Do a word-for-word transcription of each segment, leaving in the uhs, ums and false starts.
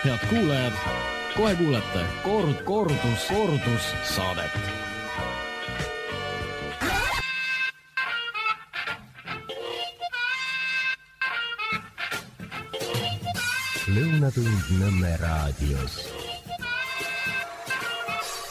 Head kuulajad, kohe kuulete kord, kordus, kordus saadet. Lõunatund Nõmme raadios.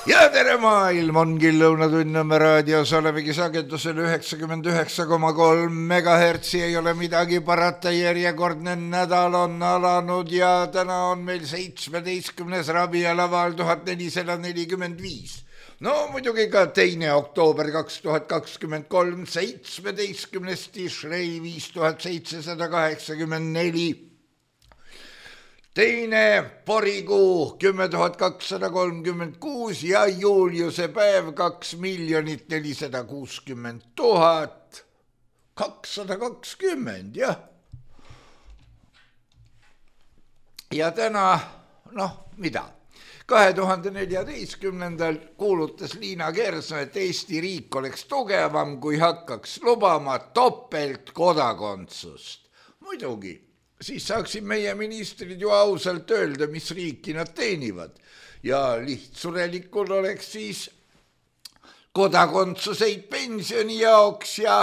Ja tere maailm, ongi Lõunatund Nõmme raadios, olemegi sagedusel üheksakümmend üheksa koma kolm megahertsi, ei ole midagi parata, järjekordne nädal on alanud ja täna on meil seitsmeteistkümnes rabialaval tuhat nelisada nelikümmend viis. No muidugi ka teine oktoober kaks tuhat kakskümmend kolm, seitsmeteistkümnes Tishrei viis tuhat seitsesada kaheksakümmend neli. Teine porikuu kümme tuhat kakssada kolmkümmend kuus ja juuliuse päev kaks miljonit nelisada kuuskümmend tuhat kakssada kakskümmend, jah. Ja täna, noh, mida? kahe tuhande neljateistkümnendal kuulutas Liina Kersna, et Eesti riik oleks tugevam, kui hakkaks lubama topelt kodakondsust. Muidugi. Siis saaksid meie ministrid ju ausalt öelda, mis riiki nad teenivad. Ja lihtsurelikul oleks siis kodakondsuseid pensioni jaoks ja,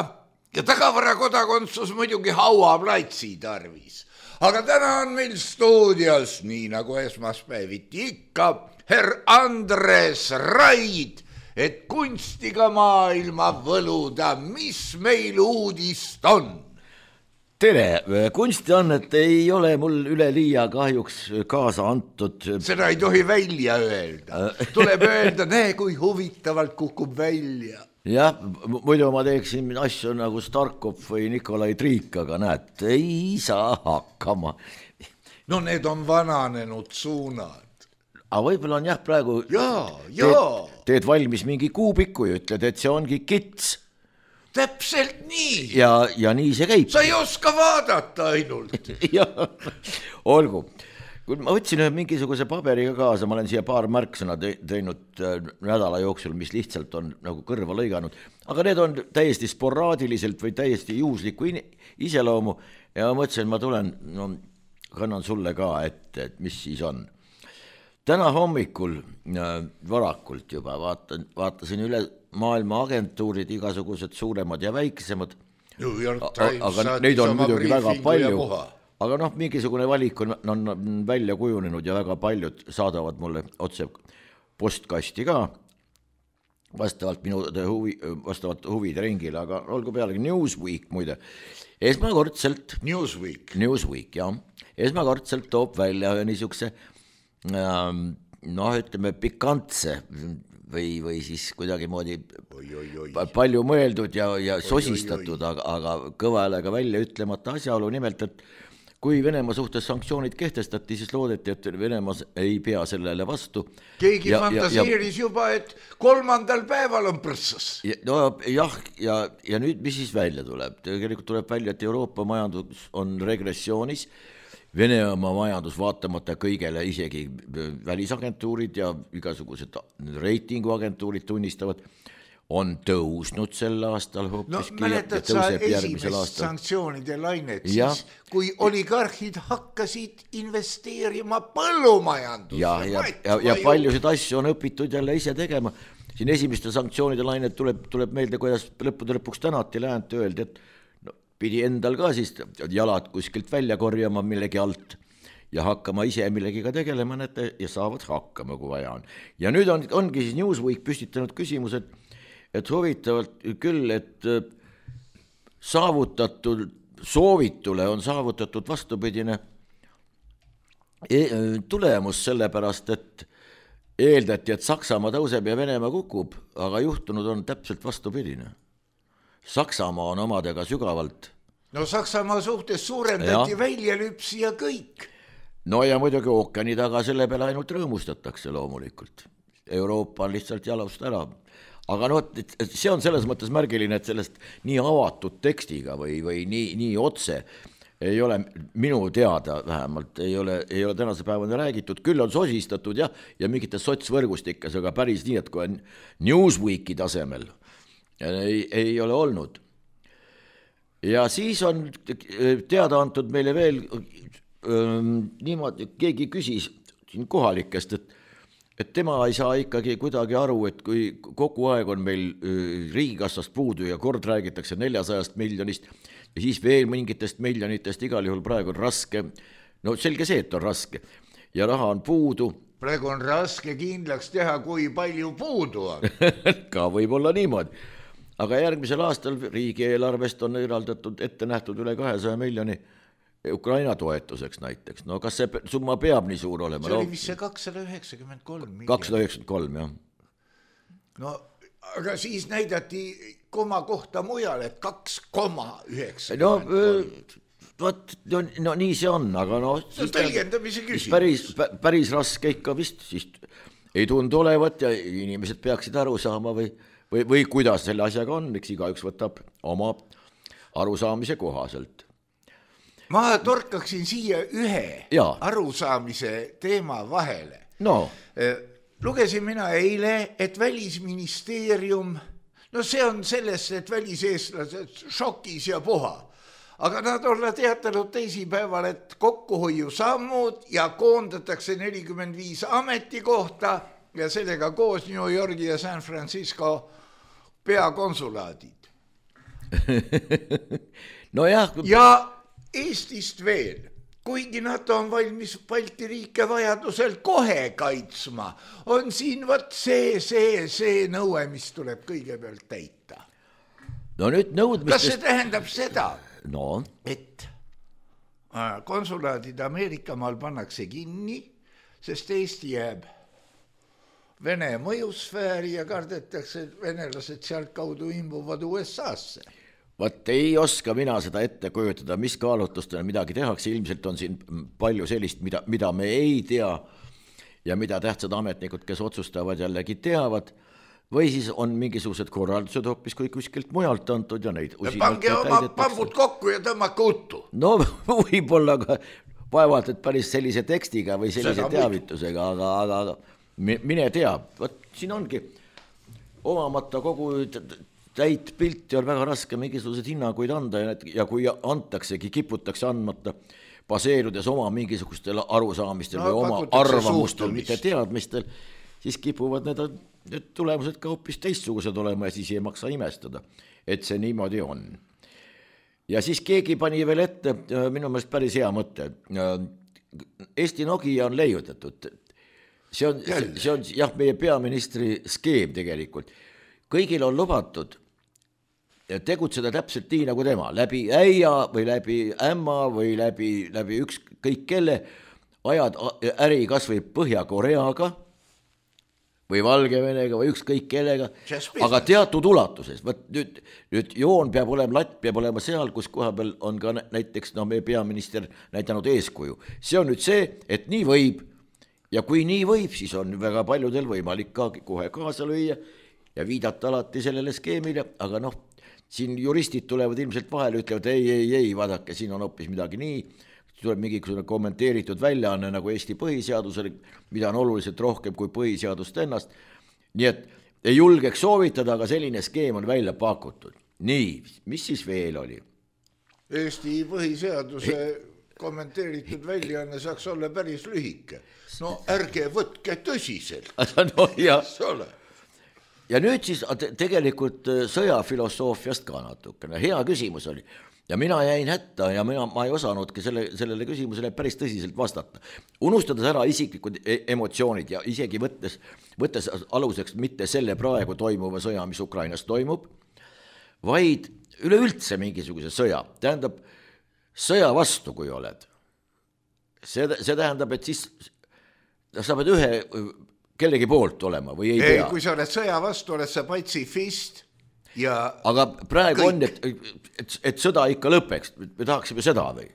ja tagavara kodakondsus muidugi hauaplatsi tarvis. Aga täna on meil stuudios, nii nagu esmaspäeviti ikka, herr Andres Raid, et kunstiga maailma võluda, mis meil uudist on. Tere, kunsti on, et ei ole mul üle liia kahjuks kaasa antud. Seda ei tohi välja öelda. Tuleb öelda, näe kui huvitavalt kukub välja. Jah, muidu ma teeksin asju nagu Starkov või Nikolai Triik, aga näed, ei saa hakkama. No need on vananenud suunad. Aga võib-olla on jah praegu... Jaa, jaa. Teed, teed valmis mingi kuubiku ja ütled, et see ongi kits. Täpselt nii. Ja, ja nii see käib. Sa ei oska vaadata ainult. Jah, olgu. Ma võtsin mingisuguse paberiga kaasa, ma olen siia paar märksõna teinud nädala jooksul, mis lihtsalt on nagu kõrva lõiganud. Aga need on täiesti sporaadiliselt või täiesti juhuslikku iseloomu ja ma mõtlesin, et ma tulen, no kannan sulle ka ette, et mis siis on. Täna hommikul varakult juba vaatan, vaatasin üle maailma agentuurid, igasugused suuremad ja väiksemad, aga neid on muidugi väga palju, aga noh, mingisugune valik on, on välja kujunenud ja väga paljud saadavad mulle otse postkasti ka, vastavalt minu huvi, vastavalt huvide ringile, aga olgu pealegi Newsweek muide, esmakordselt Newsweek, Newsweek jah, esmakordselt toob välja niisuguse noh, ütleme pikantse või, või siis kuidagi moodi oi, oi, oi. palju mõeldud ja, ja sosistatud, aga, aga kõva häälega välja ütlemata asjaolu nimelt, et kui Venemaa suhtes sanktsioonid kehtestati, siis loodeti, et Venemaa ei pea sellele vastu. Keegi ja, fantaseeris ja, ja, juba, et kolmandal päeval on prõssas. Ja, no jah, ja, ja nüüd mis siis välja tuleb? Tegelikult tuleb välja, et Euroopa majandus on regressioonis, Venemaa majandus vaatamata kõigele, isegi välisagentuurid ja igasugused reitinguagentuurid tunnistavad, on tõusnud sel aastal hoopiski. No mäletad sa esimest sanktsioonide lainet, siis kui oligarhid hakkasid investeerima põllumajandusse. Ja, ja, ja, ja paljusid asju on õpitud jälle ise tegema. Siin esimeste sanktsioonide lainet tuleb, tuleb meelde, kuidas lõppude lõpuks tänati läänt öeldi, et pidi endal ka siis jalad kuskilt välja korjama millegi alt ja hakkama ise millegiga tegelema ja saavad hakkama, kui vaja on. Ja nüüd on, ongi siis Newsweek püstitanud küsimused, et huvitavalt küll, et saavutatud soovitule on saavutatud vastupidine tulemus sellepärast, et eeldati, et Saksamaa tõuseb ja Venemaa kukub, aga juhtunud on täpselt vastupidine. Saksamaa on omadega sügavalt. No Saksamaa suhtes suurendati ja. Väljalüpsi ja kõik. No ja muidugi ookeani taga selle peale ainult rõõmustatakse loomulikult. Euroopa on lihtsalt jalust ära. Aga no, see on selles mõttes märgiline, et sellest nii avatud tekstiga või, või nii, nii otse ei ole minu teada vähemalt, ei ole, ei ole tänase päevani räägitud, küll on sosistatud ja, ja mingites sotsvõrgustikes, aga päris nii, et kui on Newsweeki tasemel, Ei, ei ole olnud. Ja siis on teada antud meile veel öö, niimoodi, keegi küsis siin kohalikest, et et tema ei saa ikkagi kuidagi aru, et kui kogu aeg on meil riigikassast puudu ja kord räägitakse neljasajast miljonist ja siis veel mingitest miljonitest, igal juhul praegu on raske, no selge see, et on raske ja raha on puudu. Praegu on raske kindlaks teha, kui palju puudu on. Ka võib olla niimoodi, aga järgmisel aastal riigieelarvest on eraldatud ette nähtud üle kahesaja miljoni Ukraina toetuseks näiteks, no kas see summa peab nii suur olema? See oli vist see kakssada üheksakümmend kolm miljonit. kakssada üheksakümmend kolm, jah. No, aga siis näidati koma kohta mujal, et kaks koma üheksakümmend kolm. No, võt, no, no nii see on, aga no... See on tõlgendamise küsimus. Päris, päris raske ikka vist, siis ei tundu olevat ja inimesed peaksid aru saama või, või, või kuidas selle asjaga on, eks igaüks võtab oma arusaamise kohaselt. Ma torkaksin siia ühe ja. arusaamise teema vahele. No. Lugesin mina eile, et Välisministeerium, no see on sellest, et väliseestlased šokis ja puha, aga nad olla teatanud teisipäeval, et kokkuhoiu sammud ja koondatakse nelikümmend viis ametikohta ja sellega koos New Yorgi ja San Francisco peakonsulaadid. no jah. Ja Eestist veel, kuigi nad on valmis Balti riike vajadusel kohe kaitsma, on siin võt see, see, see nõue, mis tuleb kõigepealt täita. No nüüd nõudmistest... Kas see tähendab seda, no. et konsulaadid Ameerikamaal pannakse kinni, sest Eesti jääb Vene mõjusfääri ja kardetakse, et venelased sealt kaudu imbuvad U S A-sse? Vaat ei oska mina seda ette kujutada, mis kaalutustena midagi tehakse, ilmselt on siin palju sellist, mida, mida me ei tea ja mida tähtsad ametnikud, kes otsustavad jällegi teavad, või siis on mingisugused korraldused hoopis kui kuskilt mujalt antud ja neid ja pange oma pambud kokku ja tõmmake uttu. No võib-olla ka vaevalt, et päris sellise tekstiga või sellise seda teavitusega, aga, aga, aga mine tea, vaat siin ongi omamata kogu täit pilti on väga raske mingisugused hinnanguid anda ja, ja kui antaksegi, kiputakse andmata, baseerudes oma mingisugustel arusaamistel no, või oma arvamustel, mitte teadmistel, siis kipuvad need, need tulemused ka hoopis teistsugused olema ja siis ei maksa imestada, et see niimoodi on. Ja siis keegi pani veel ette, minu meelest päris hea mõte, Eesti Nokia on leiutatud. See on, see on jah, meie peaministri skeem tegelikult. Kõigil on lubatud tegutseda täpselt nii nagu tema, läbi äia või läbi ämma või läbi, läbi ükskõik kelle, ajad äri kas või Põhja-Koreaga või Valgevenega või ükskõik kellega, aga teatud ulatuses. Võt, nüüd, nüüd joon peab olema, latt peab olema seal, kus koha peal on ka näiteks no, meie peaminister näidanud eeskuju. See on nüüd see, et nii võib ja kui nii võib, siis on väga paljudel võimalik ka kohe kaasa lüüa ja viidata alati sellele skeemile, aga noh, siin juristid tulevad ilmselt vahele, ütlevad ei, ei, ei, vaadake, siin on hoopis midagi nii, tuleb mingisugune kommenteeritud väljaanne nagu Eesti põhiseadusele, mida on oluliselt rohkem kui põhiseadust ennast, nii et ei julgeks soovitada, aga selline skeem on välja pakutud. Nii, mis siis veel oli? Eesti põhiseaduse kommenteeritud väljaanne saaks olla päris lühike. No ärge võtke tõsiselt. No jah. Ja nüüd siis tegelikult sõjafilosoofiast ka natukene. Hea küsimus oli. Ja mina jäin hätta ja mina, ma ei osanudki selle, sellele küsimusele päris tõsiselt vastata. Unustades ära isiklikud emotsioonid ja isegi võttes, võttes aluseks mitte selle praegu toimuva sõja, mis Ukrainas toimub, vaid üleüldse mingisuguse sõja. Tähendab, sõja vastu, kui oled. See, see tähendab, et siis sa pead ühe... kellegi poolt olema või ei, ei pea. Kui sa oled sõja vastu, oled sa patsifist ja aga praegu kõik. On, et, et, et sõda ikka lõpeks. Me tahaksime seda või?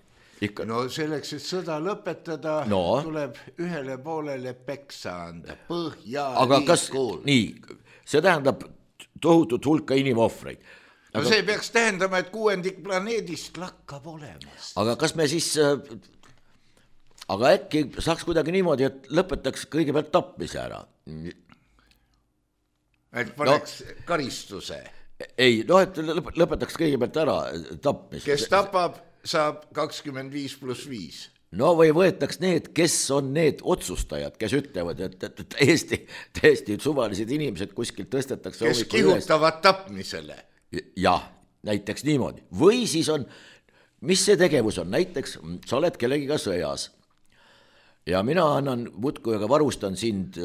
Ikka. No selleks, et sõda lõpetada, no. Tuleb ühele poolele peksa anda. Põhja aga kas, nii, see tähendab tohutut hulka inimohvreid. No aga, see peaks tähendama, et kuuendik planeedist lakkab olemas. Aga kas me siis... Aga äkki saaks kuidagi niimoodi, et lõpetaks kõigepealt tapmise ära. Et paneks no, karistuse. Ei, no et lõpetaks kõigepealt ära tapmise. Kes tapab, saab kakskümmend viis pluss viis. no või võetaks need, kes on need otsustajad, kes ütlevad, et, et täiesti, täiesti suvalised inimesed kuskilt tõstetakse. Kes kihutavad tapmisele. Jah, näiteks niimoodi. Või siis on, mis see tegevus on, näiteks sa oled kellegiga sõjas ja mina annan muudkui, aga varustan sind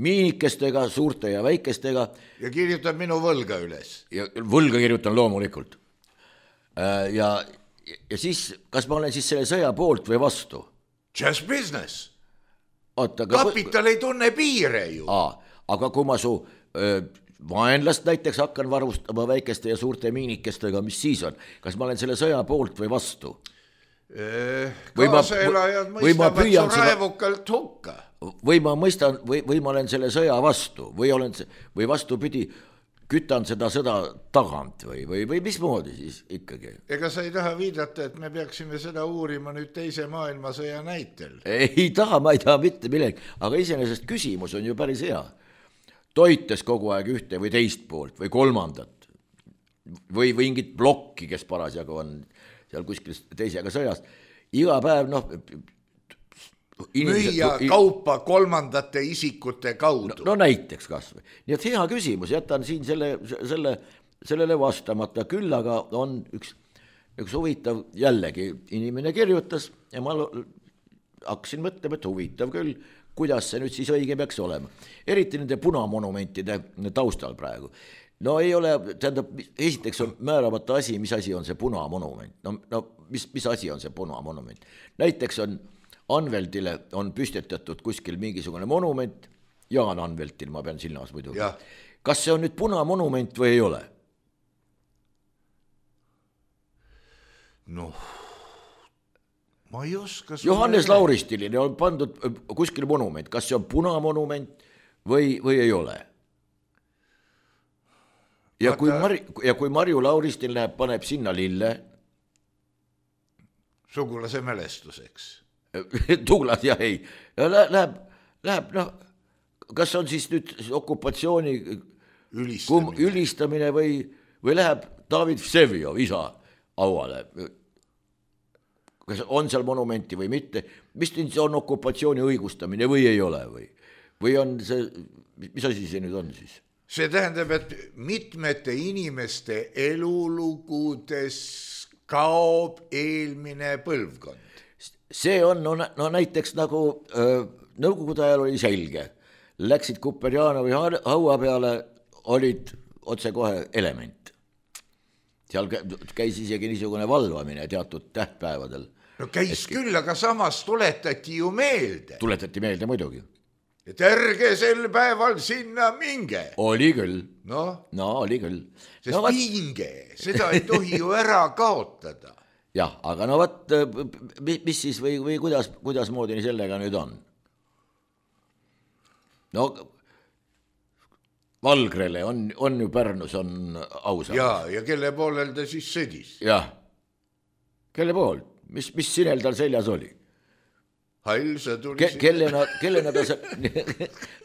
miinikestega, suurte ja väikestega. Ja kirjutan minu võlga üles. Ja võlga kirjutan loomulikult. Ja ja siis, kas ma olen siis selle sõja poolt või vastu? Just business. Oota, aga... Kapital ei tunne piire ju. Aa, aga kui ma su öö, vaenlast näiteks hakkan varustama väikeste ja suurte miinikestega, mis siis on? Kas ma olen selle sõja poolt või vastu? Kaasaelajad mõistavad su raevukalt hukka. Või ma mõistan, või, või ma olen selle sõja vastu või, olen, või vastupidi, kütan seda sõda tagant või, või, või mismoodi siis ikkagi? Ega sa ei taha viidata, et me peaksime seda uurima nüüd teise maailmasõja näitel? Ei taha, ma ei taha mitte millegi, aga iseenesest küsimus on ju päris hea. Toites kogu aeg ühte või teist poolt või kolmandat või, või mingit blokki, kes parasjagu on seal kuskil teisega sõjas. Iga päev, noh... Inimesed, müüa kaupa kolmandate isikute kaudu. No, no näiteks kas või. Nii et hea küsimus, jätan siin selle, selle, sellele vastamata. Küll aga on üks, üks huvitav, jällegi inimene kirjutas ja ma hakkasin mõtlema, et huvitav küll, kuidas see nüüd siis õige peaks olema. Eriti nende punamonumentide taustal praegu. No ei ole, tähendab, esiteks on määramata asi, mis asi on see punamonument. No, no mis, mis asi on see punamonument? Näiteks on Anveltile on püstetatud kuskil mingisugune monument, Jaan Anveltil, ma pean silmas muidu. Kas see on nüüd punamonument või ei ole? Noh, ma ei oska. Johannes Lauristiline on pandud kuskil monument, kas see on punamonument või, või ei ole? Ja kui, Mari, ja kui Marju Lauristil läheb, paneb sinna lille. Sugulase mälestuseks. Tuglas ja ei, läheb, läheb, noh, kas on siis nüüd okupatsiooni ülistamine, ülistamine või, või läheb David Vsevjov isa auale, kas on seal monumenti või mitte, mis see on okupatsiooni õigustamine või ei ole või, või on see, mis asi see nüüd on siis? See tähendab, et mitmete inimeste elulugudes kaob eelmine põlvkond. See on, no, no näiteks nagu öö, nõukogude ajal oli selge, läksid Kuperjanovi haua peale, olid otse kohe element. Seal käis isegi niisugune valvamine teatud tähtpäevadel. No käis et... küll, aga samas tuletati ju meelde. Tuletati meelde muidugi. Et ärge sel päeval sinna minge. Oli küll. No, no oli küll. Sest no, minge, seda ei tohi ju ära kaotada. Jah, aga no vaat, mis siis või, või kuidas, kuidas moodi sellega nüüd on? No Valgrele on, on ju Pärnus on ausalt. Ja, ja kelle poolel ta siis sõdis? Jah, kelle pool? Mis, mis sinel tal seljas oli? Hall, sa tuli Ke, kellena, kellena, ta,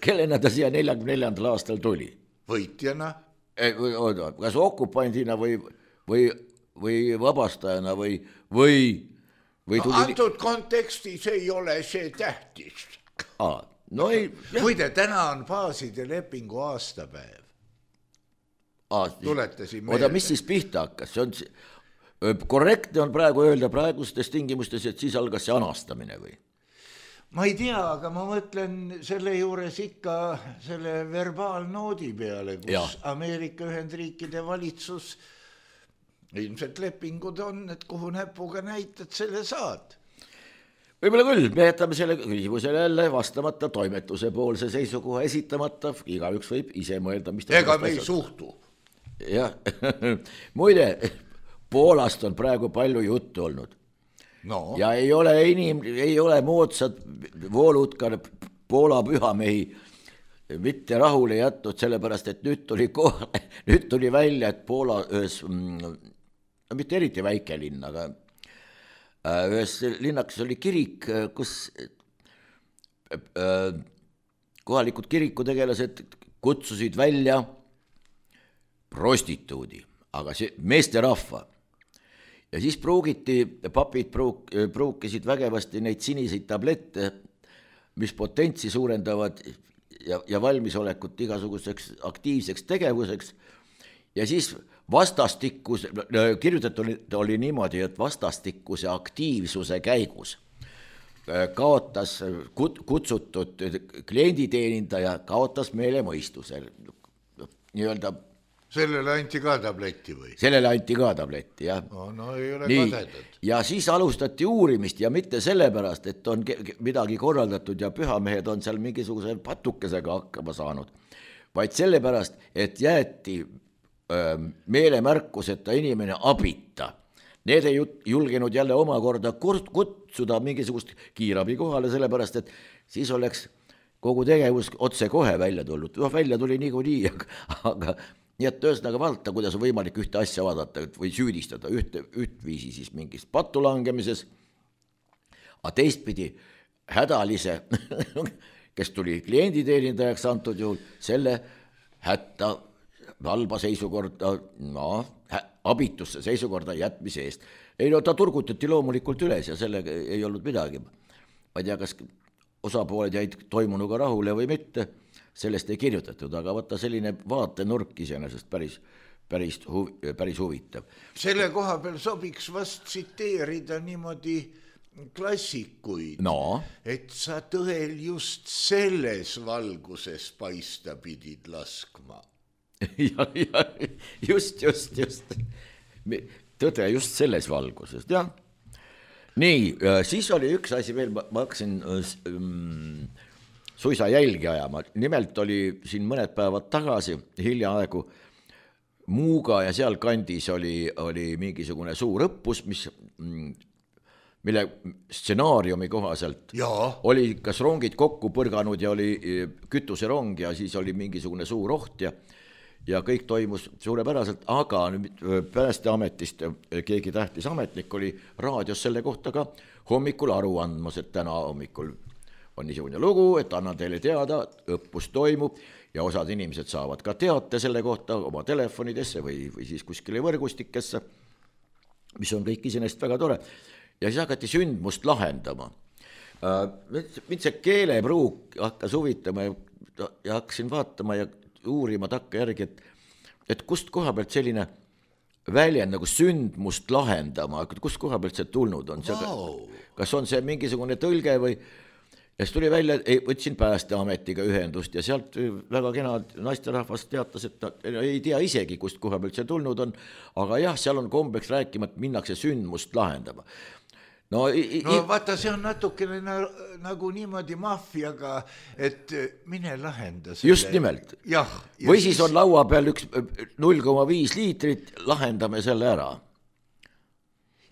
kellena ta siia neljakümne neljandal aastal tuli? Võitjana? Oota, kas okupandina või... või või vabastajana või, või, või tuli... No, antud kontekstis ei ole see tähtis. Aa, no ei... Muide, täna on baaside lepingu aastapäev. Aa, tuletasin meelde. Oda, mis siis pihta hakkas? See on, korrektne on praegu öelda praegustes tingimustes, et siis algas see anastamine või? Ma ei tea, aga ma mõtlen selle juures ikka selle verbaalnoodi peale, kus ja. Ameerika Ühendriikide valitsus... Ilmselt lepingud on, et kuhu näpuga näitad, selle saad. Võib-olla küll, me jätame selle küsimusele jälle vastamata, toimetuse poolse seisukoha esitamata, igaüks võib ise mõelda, mis ta... Ega me ei suhtu. Jah, muide, Poolast on praegu palju juttu olnud. No. Ja ei ole, inim, ei ole moodsad voolutkar Poola pühamehi mitte rahule jätnud, sellepärast, et nüüd tuli, kohale, nüüd tuli välja, et Poola ühes... No, mitte eriti väike linn, aga ühes linnakas oli kirik, kus kohalikud kirikutegelased kutsusid välja prostituudi, aga see meesterahva. ja siis pruugiti, papid pruuk, pruukisid vägevasti neid siniseid tablette, mis potentsi suurendavad ja, ja valmisolekut igasuguseks aktiivseks tegevuseks ja siis vastastikus, kirjutatud oli niimoodi, et vastastikuse aktiivsuse käigus kaotas kutsutud klienditeenindaja, kaotas meelemõistuse. Nii-öelda sellele anti ka tabletti või? Sellele anti ka tabletti, jah. No, no ei ole Nii, kadetud. Ja siis alustati uurimist ja mitte sellepärast, et on midagi korraldatud ja pühamehed on seal mingisuguse patukesega hakkama saanud, vaid sellepärast, et jäeti öö, meelemärkuseta inimene abita. Need ei julgenud jälle omakorda kutsuda mingisugust kiirabi kohale, sellepärast, et siis oleks kogu tegevus otse kohe välja tulnud. No, välja tuli niikuinii, aga, aga nii et ühesõnaga vaadata, kuidas on võimalik ühte asja vaadata või süüdistada ühte, ühtviisi siis mingis pattu langemises, aga teistpidi hädalise, kes tuli klienditeenindajaks antud juhul, selle hätta halba seisukorda, no, abitusse seisukorda jätmise eest. Ei, no ta turgutati loomulikult üles ja sellega ei olnud midagi. Ma ei tea, kas osapooled jäid toimunuga rahule või mitte, sellest ei kirjutatud, aga vaata selline vaatenurk iseenesest päris, päris, huv, päris huvitav. Selle koha peal sobiks vast tsiteerida niimoodi klassikuid, no. Et sa tõel just selles valguses paista pidid laskma. ja, ja, just, just, just. Tõde just selles valguses, jah. Nii, siis oli üks asi veel, ma hakkasin um, suisa jälgi ajama. Nimelt oli siin mõned päevad tagasi hiljaaegu Muuga ja seal kandis oli, oli mingisugune suur õppus, mis, mille stsenaariumi kohaselt Jaa. oli kas rongid kokku põrganud ja oli kütuserong ja siis oli mingisugune suur oht ja ja kõik toimus suurepäraselt, aga Päästeametist keegi tähtis ametnik oli raadios selle kohta ka hommikul aru andmas, et täna hommikul on niisugune lugu, et annan teile teada, õppus toimub ja osad inimesed saavad ka teate selle kohta oma telefonidesse või, või siis kuskile võrgustikesse, mis on kõik iseenesest väga tore. Ja siis hakati sündmust lahendama. Mind see keelepruuk hakkas huvitama ja, ja hakkasin vaatama ja uurima takka järgi, et, et kust koha pealt selline väljend nagu sündmust lahendama, kust koha pealt see tulnud on? Wow. Kas on see mingisugune tõlge või? Ja siis tuli välja, võtsin Päästeametiga ühendust ja sealt väga kena naisterahvas teatas, et ta ei tea isegi, kust koha pealt see tulnud on, aga jah, seal on kombeks rääkima, et minnakse sündmust lahendama. No, i, no vaata, see on natukene na, nagu niimoodi maffiaga, et mine lahenda selle. Just nimelt. Jah, või siis, siis on laua peal üks null koma viis liitrit, lahendame selle ära.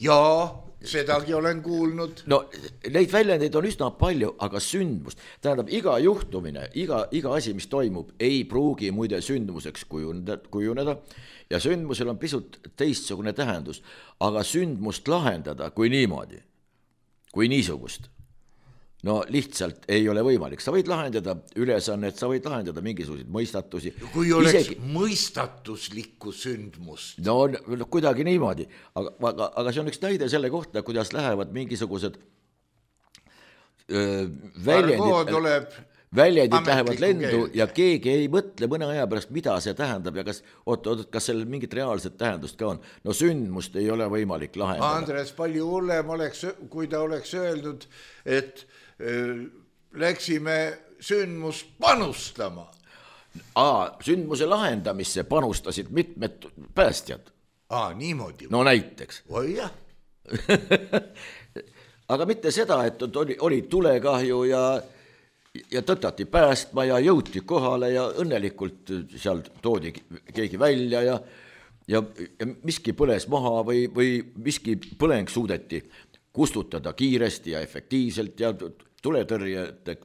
Jaa, sedagi olen kuulnud. No neid väljendeid on üsna palju, aga sündmust, tähendab iga juhtumine, iga, iga asi, mis toimub, ei pruugi muide sündmuseks kujuneda, kujuneda ja sündmusel on pisut teistsugune tähendus, aga sündmust lahendada kui niimoodi, kui niisugust, no lihtsalt ei ole võimalik. Sa võid lahendada ülesannet, sa võid lahendada mingisuguseid mõistatusi. Kui oleks Isegi... mõistatuslikku sündmust. No, no kuidagi niimoodi, aga, aga, aga see on üks näide selle kohta, kuidas lähevad mingisugused öö, väljendid, tuleb väljendid lähevad lendu keelt. Ja keegi ei mõtle mõne aja pärast, mida see tähendab ja kas, oot, oot, kas sellel mingit reaalset tähendust ka on. No sündmust ei ole võimalik lahendada. Andres, palju hullem oleks, kui ta oleks öeldud, et äh, läksime sündmust panustama. Aa, sündmuse lahendamisse panustasid mitmed päästjad. Aa, niimoodi. No näiteks. Oi jah. Aga mitte seda, et oli, oli tulekahju ja ja tõtati päästma ja jõuti kohale ja õnnelikult seal toodi keegi välja ja, ja, ja miski põles maha või, või miski põleng suudeti kustutada kiiresti ja efektiivselt ja tuletõrjete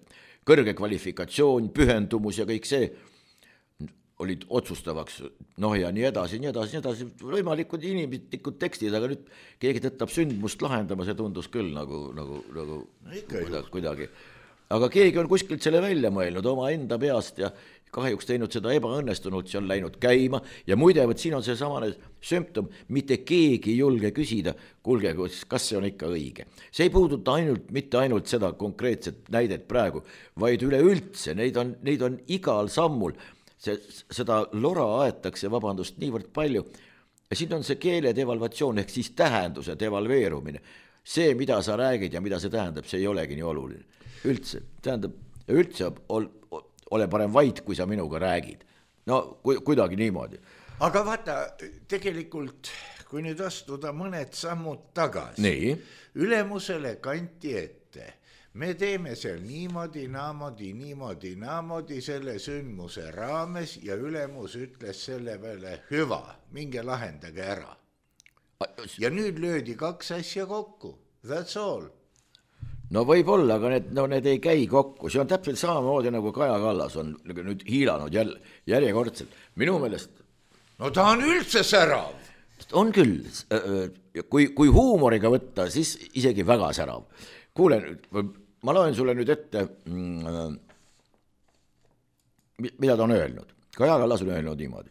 kõrge kvalifikatsioon, pühendumus ja kõik see olid otsustavaks, noh ja nii edasi, nii edasi, nii edasi, võimalikud inimlikud tekstid, aga nüüd keegi tõttab sündmust lahendama, see tundus küll nagu, nagu, nagu no kuidagi, kuidagi aga keegi on kuskilt selle välja mõelnud oma enda peast ja kahjuks teinud seda ebaõnnestunult, see on läinud käima ja muide, võt siin on see samane sümptom, mitte keegi ei julge küsida, kuulge, kas see on ikka õige. See ei puuduta ainult, mitte ainult seda konkreetset näidet praegu, vaid üleüldse, neid on, neid on igal sammul, see, seda lora aetakse, vabandust, niivõrd palju ja siin on see keele devalvatsioon ehk siis tähenduse devalveerumine. See, mida sa räägid ja mida see tähendab, see ei olegi nii oluline. Üldse, tähendab, üldse ol, ole parem vait, kui sa minuga räägid. No ku, kuidagi niimoodi. Aga vaata, tegelikult, kui nüüd astuda mõned sammud tagasi, nii. Ülemusele kanti ette, me teeme seal niimoodi, naamodi, niimoodi, naamodi selle sündmuse raames ja ülemus ütles selle peale hüva, minge lahendage ära. Ja nüüd löödi kaks asja kokku, that's all. No võib-olla, aga need, no need ei käi kokku, see on täpselt samamoodi nagu Kaja Kallas on nüüd hiilanud jälle, järjekordselt. Minu meelest... No ta on üldse särav. On küll, kui, kui huumoriga võtta, siis isegi väga särav. Kuule, ma loen sulle nüüd ette, mida ta on öelnud. Kaja Kallas on öelnud niimoodi.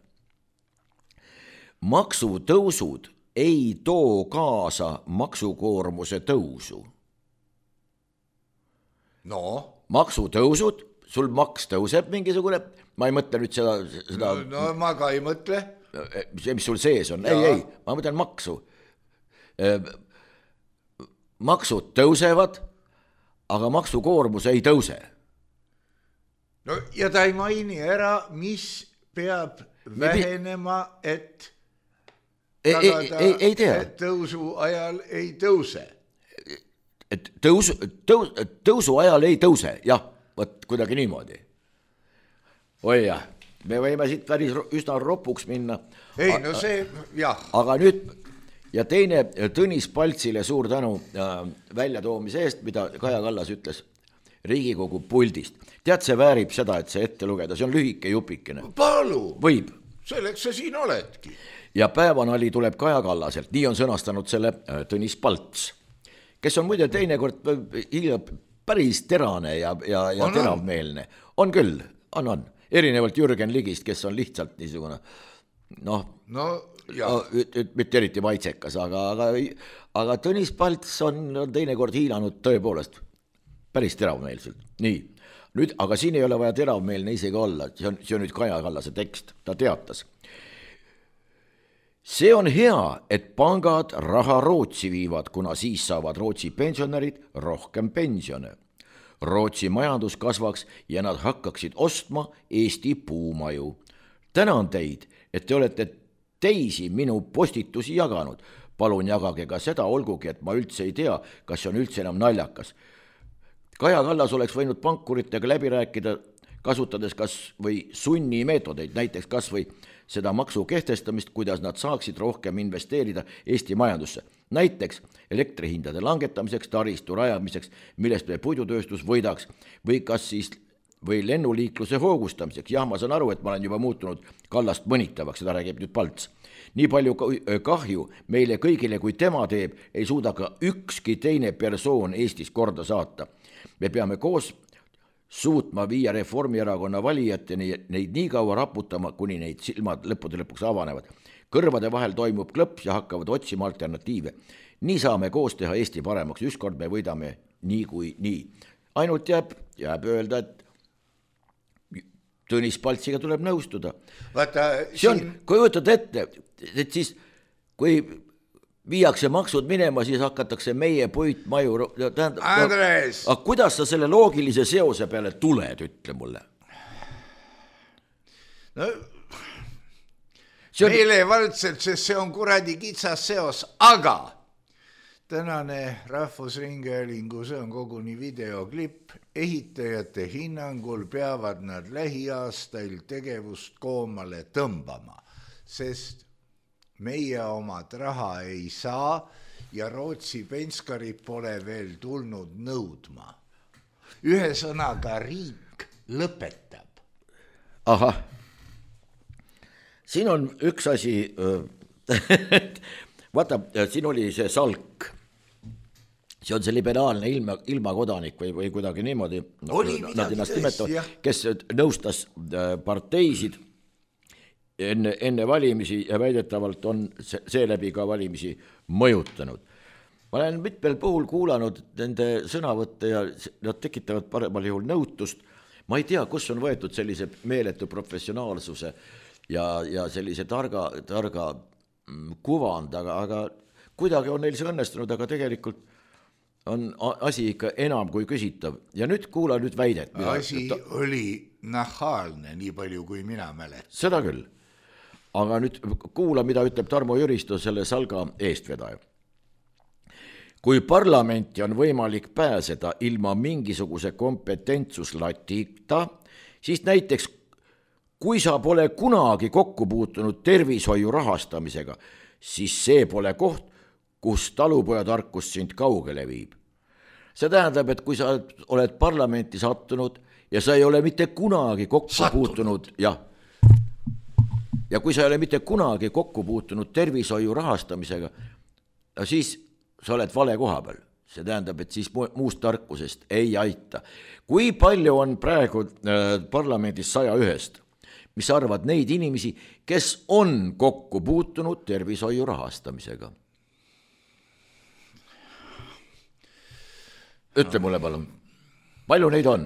Maksutõusud ei too kaasa maksukoormuse tõusu. No. Maksutõusud, sul maks tõuseb mingisugune, ma ei mõtle nüüd seda... seda no, no ma ka ei mõtle. See, mis sul sees on, ja. ei, ei, ma mõtlen maksu. Maksud tõusevad, aga maksukoormus ei tõuse. No ja ta ei maini ära, mis peab vähenema, et tagada, ei, ei, ei tea. Et tõusu ajal ei tõuse. Et tõusu, tõus, tõusu ajal ei tõuse, jah, võt kuidagi niimoodi. Oi jah, me võime siit päris üsna ropuks minna. Ei, no see, jah. Aga nüüd, ja teine Tõnis Paltsile suur tänu äh, väljatoomise eest, mida Kaja Kallas ütles Riigikogu puldist. Tead, see väärib seda, et see ette lugeda, see on lühike jupikene. Palu, võib. Selleks sa siin oledki. Ja päevanali tuleb Kaja Kallaselt, nii on sõnastanud selle äh, Tõnis Palts, kes on muide teinekord päris terane ja, ja, ja on, teravmeelne. On küll, on, on. Erinevalt Jürgen Ligist, kes on lihtsalt niisugune, noh, no, no, mitte eriti maitsekas, aga, aga, aga Tõnis Palts on, on teinekord hiilanud tõepoolest päris teravmeelselt. Nii, nüüd, aga siin ei ole vaja teravmeelne isegi olla, see on, see on nüüd Kaja Kallase tekst, ta teatas. See on hea, et pangad raha Rootsi viivad, kuna siis saavad Rootsi pensionärid rohkem pensione. Rootsi majandus kasvaks ja nad hakkaksid ostma Eesti puumaju. Tänan teid, et te olete teisi minu postitusi jaganud. Palun jagage ka seda, olgugi, et ma üldse ei tea, kas see on üldse enam naljakas. Kaja Kallas oleks võinud pankuritega läbi rääkida, kasutades kas või sunni meetodeid, näiteks kas või seda maksu kehtestamist, kuidas nad saaksid rohkem investeerida Eesti majandusse. Näiteks elektrihindade langetamiseks, taristu rajamiseks, millest me puidutööstus võidaks, või kas siis või lennuliikluse hoogustamiseks. Jah, ma saan aru, et ma olen juba muutunud Kallast mõnitavaks, seda räägib nüüd Palts. Nii palju kahju meile kõigile, kui tema teeb, ei suuda ka ükski teine persoon Eestis korda saata. Me peame koos suutma viia Reformierakonna valijateni neid nii kaua raputama, kuni neid silmad lõppude lõpuks avanevad. Kõrvade vahel toimub klõps ja hakkavad otsima alternatiive. Nii saame koos teha Eesti paremaks, ükskord me võidame nii kui nii. Ainult jääb, jääb öelda, et Tõnis Paltsiga tuleb nõustuda. Vaata, see on, kui võtad ette, et siis kui viiakse maksud minema, siis hakatakse meie puitmaju... Tähendab, Andres! No, aga kuidas sa selle loogilise seose peale tuled, ütle mulle? No, see on... meelevaldselt, sest see on kuradi kitsas seos, aga tänane Rahvusringhäälingu, see on koguni videoklipp, ehitajate hinnangul peavad nad lähiaastail tegevust koomale tõmbama, sest meie omad raha ei saa ja Rootsi penskarid pole veel tulnud nõudma. Ühe sõnaga riik lõpetab. Ahah, siin on üks asi, vaata, siin oli see Salk, see on see liberaalne ilma, ilmakodanik või, või kuidagi niimoodi, nad ennast nimetavad, kes nõustas parteisid enne, enne valimisi ja väidetavalt on seeläbi ka valimisi mõjutanud. Ma olen mitmel puhul kuulanud nende sõnavõtte ja nad tekitavad paremal juhul nõutust. Ma ei tea, kus on võetud sellise meeletu professionaalsuse ja, ja sellise targa, targa kuvand, aga, aga kuidagi on neil see õnnestunud, aga tegelikult on asi ikka enam kui küsitav. Ja nüüd kuula nüüd väidet. Asi ta... oli nahaalne, nii palju kui mina mäletan. Seda küll. Aga nüüd kuula, mida ütleb Tarmo Jüristo, selle Salga eestvedaja. Kui parlamenti on võimalik pääseda ilma mingisuguse kompetentsuslatita, siis näiteks kui sa pole kunagi kokku puutunud tervishoiu rahastamisega, siis see pole koht, kus talupojatarkus sind kaugele viib. See tähendab, et kui sa oled parlamenti sattunud ja sa ei ole mitte kunagi kokku sattunud. puutunud, jah, ja kui sa ei ole mitte kunagi kokku puutunud tervishoiu rahastamisega, siis sa oled vale koha peal. See tähendab, et siis muust tarkusest ei aita. Kui palju on praegu parlamendis saja ühest, mis arvad neid inimesi, kes on kokku puutunud tervishoiu rahastamisega? Ütle mulle palun, palju neid on?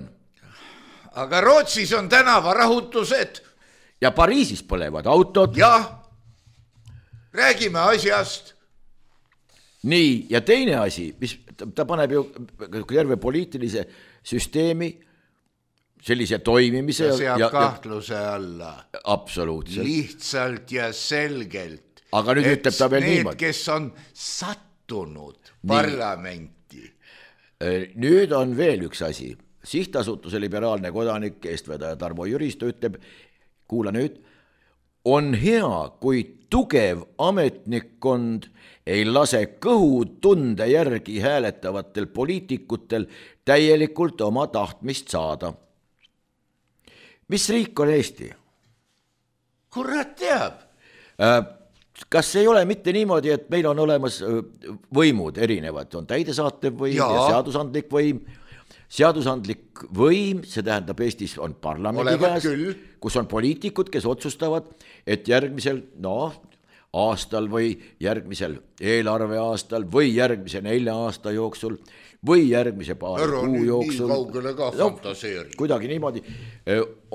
Aga Rootsis on tänavarahutused. Ja Pariisis põlevad autod. Jah, räägime asjast. Nii, ja teine asi, mis ta paneb ju terve poliitilise süsteemi sellise toimimise. Ta seab ja, kahtluse alla. Absoluutselt. Lihtsalt ja selgelt. Aga nüüd ütleb ta veel need, niimoodi. Kes on sattunud parlamenti. Nüüd on veel üks asi. Sihtasutuse liberaalne kodanik eestvedaja Tarmo Jüristo ütleb, kuula nüüd, on hea, kui tugev ametnikkond ei lase kõhu tunde järgi hääletavatel poliitikutel täielikult oma tahtmist saada. Mis riik on Eesti? Kurat teab. Kas ei ole mitte niimoodi, et meil on olemas võimud erinevad, on täidesaatev võim ja, ja seadusandlik võim. Seadusandlik võim, see tähendab Eestis on parlamendi käes, kus on poliitikud, kes otsustavad, et järgmisel no, aastal või järgmisel eelarveaastal või järgmise nelja aasta jooksul või järgmise paar Ära kuu jooksul. No, kuidagi niimoodi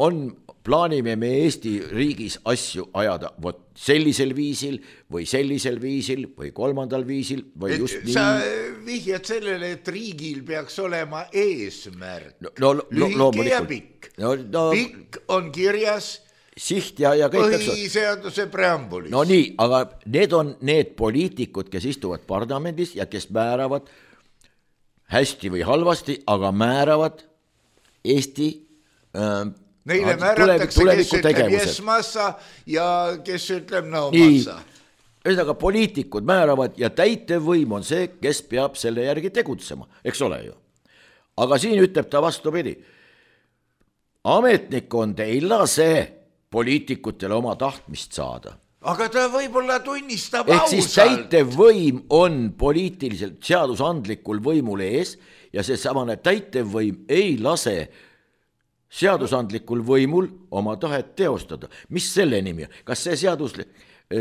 on, plaanime me Eesti riigis asju ajada vot sellisel viisil või sellisel viisil või kolmandal viisil või just et nii. Sa vihjad sellele, et riigil peaks olema eesmärk. No, no, lühike ja pikk. No, no, pikk on kirjas siht ja, ja kõik põhiseaduse preambulis. No nii, aga need on need poliitikud, kes istuvad parlamendis ja kes määravad hästi või halvasti, aga määravad Eesti äh, Neile määratakse, kes ütleb yes massa ja kes ütleb no massa. Ühesõnaga poliitikud määravad ja täitevvõim on see, kes peab selle järgi tegutsema, eks ole ju. Aga siin ütleb ta vastupidi. Ametnikkond ei lase poliitikutele oma tahtmist saada. Aga ta võib-olla tunnistab ehk ausalt. Ehk siis täitevvõim on poliitiliselt seadusandlikul võimul ees ja see samane täitevvõim ei lase seadusandlikul võimul oma tahet teostada. Mis selle nimi on? Kas see seaduslik,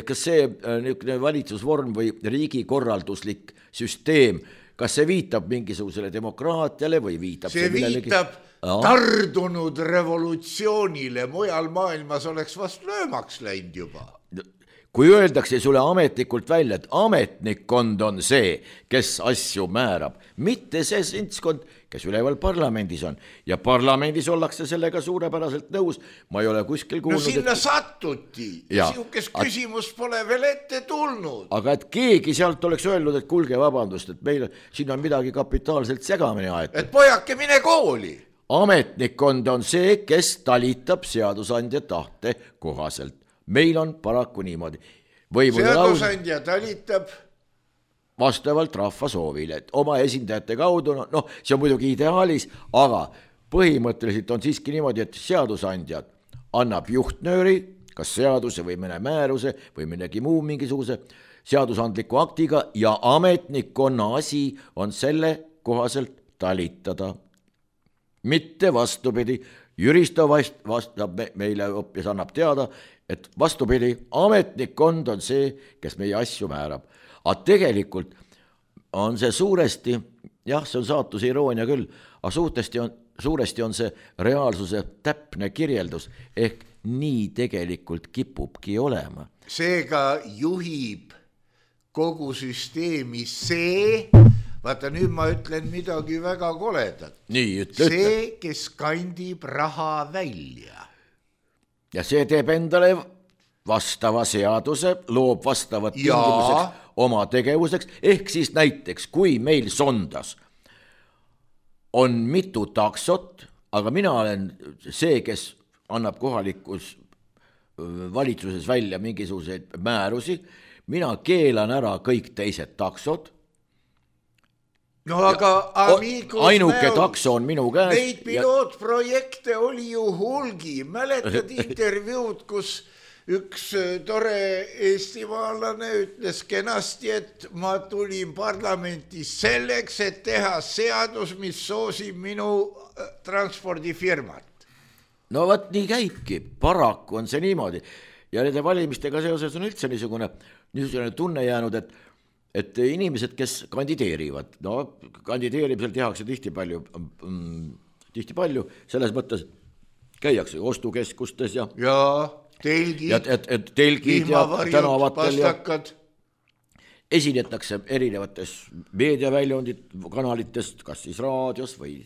kas see niisugune valitsusvorm või riigikorralduslik süsteem, kas see viitab mingisugusele demokraatiale või viitab see, see millelegi? viitab no. tardunud revolutsioonile, mujal maailmas oleks vast löömaks läinud juba. Kui öeldakse sulle ametnikult välja, et ametnikkond on see, kes asju määrab, mitte see sintskond, kes üleval parlamendis on. Ja parlamendis ollakse sellega suurepäraselt nõus. Ma ei ole kuskil kuulnud. No sinna et... sattuti. Ja siukest at... küsimus pole veel ette tulnud. Aga et keegi sealt oleks öelnud, et kulge vabandust, et meil siin on midagi kapitaalselt segamini aetud. Et pojake, mine kooli. Ametnikkond on see, kes talitab seadusandja tahte kohaselt. Meil on paraku niimoodi. Seadusandja talitab vastavalt rahva soovile, et oma esindajate kaudu, no, no see on muidugi ideaalis, aga põhimõtteliselt on siiski niimoodi, et seadusandjad annab juhtnööri, kas seaduse või mõne määruse või midagi muu mingisuguse, seadusandliku aktiga ja ametnikkonna asi on selle kohaselt talitada. Mitte vastupidi, Jüristo vastab meile hoopis annab teada, et vastupidi, ametnikkond on see, kes meie asju määrab. Aga tegelikult on see suuresti, jah, see on saatuse iroonia küll, aga suuresti on, suuresti on see reaalsuse täpne kirjeldus, ehk nii tegelikult kipubki olema. Seega juhib kogu süsteemi see, vaata nüüd ma ütlen midagi väga koledat. Nii, ütle, see, ütle. kes kandib raha välja. Ja see teeb endale vastava seaduse, loob vastavad Ja. tingimuseks oma tegevuseks, ehk siis näiteks, kui meil Sondas on mitu taksot, aga mina olen see, kes annab kohalikus valitsuses välja mingisuguseid määrusi, mina keelan ära kõik teised taksod. No aga amigos ainuke takso on minu käes. Neid pilootprojekte oli ju hulgi. Mäletad intervjuud, kus üks tore eestimaalane ütles kenasti, et ma tulin parlamenti selleks, et teha seadus, mis soosib minu transpordifirmat. No võt, nii käibki, paraku on see niimoodi. Ja nende valimistega seoses on üldse niisugune, niisugune tunne jäänud, et, et inimesed, kes kandideerivad, no kandideerimisel tehakse tihti palju, mm, tihti palju, selles mõttes käiakse ostukeskustes ja, ja telgid, ja et, et telgid ja tänavatel ja pastakad. Esinetakse erinevates meediaväljundid, kanalitest, kas siis raadios või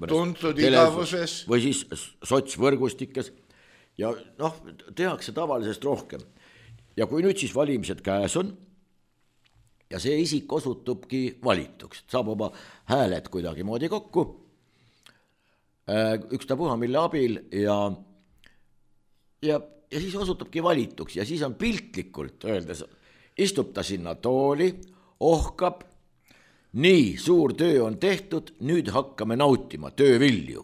tuntud igavuses või siis sotsvõrgustikes ja noh, tehakse tavalisest rohkem. Ja kui nüüd siis valimised käes on ja see isik osutubki valituks, saab oma hääled kuidagi moodi kokku, ükstapuha mille abil ja, ja, ja siis osutubki valituks ja siis on piltlikult öeldes istub ta sinna tooli, ohkab, nii, suur töö on tehtud, nüüd hakkame nautima töövilju.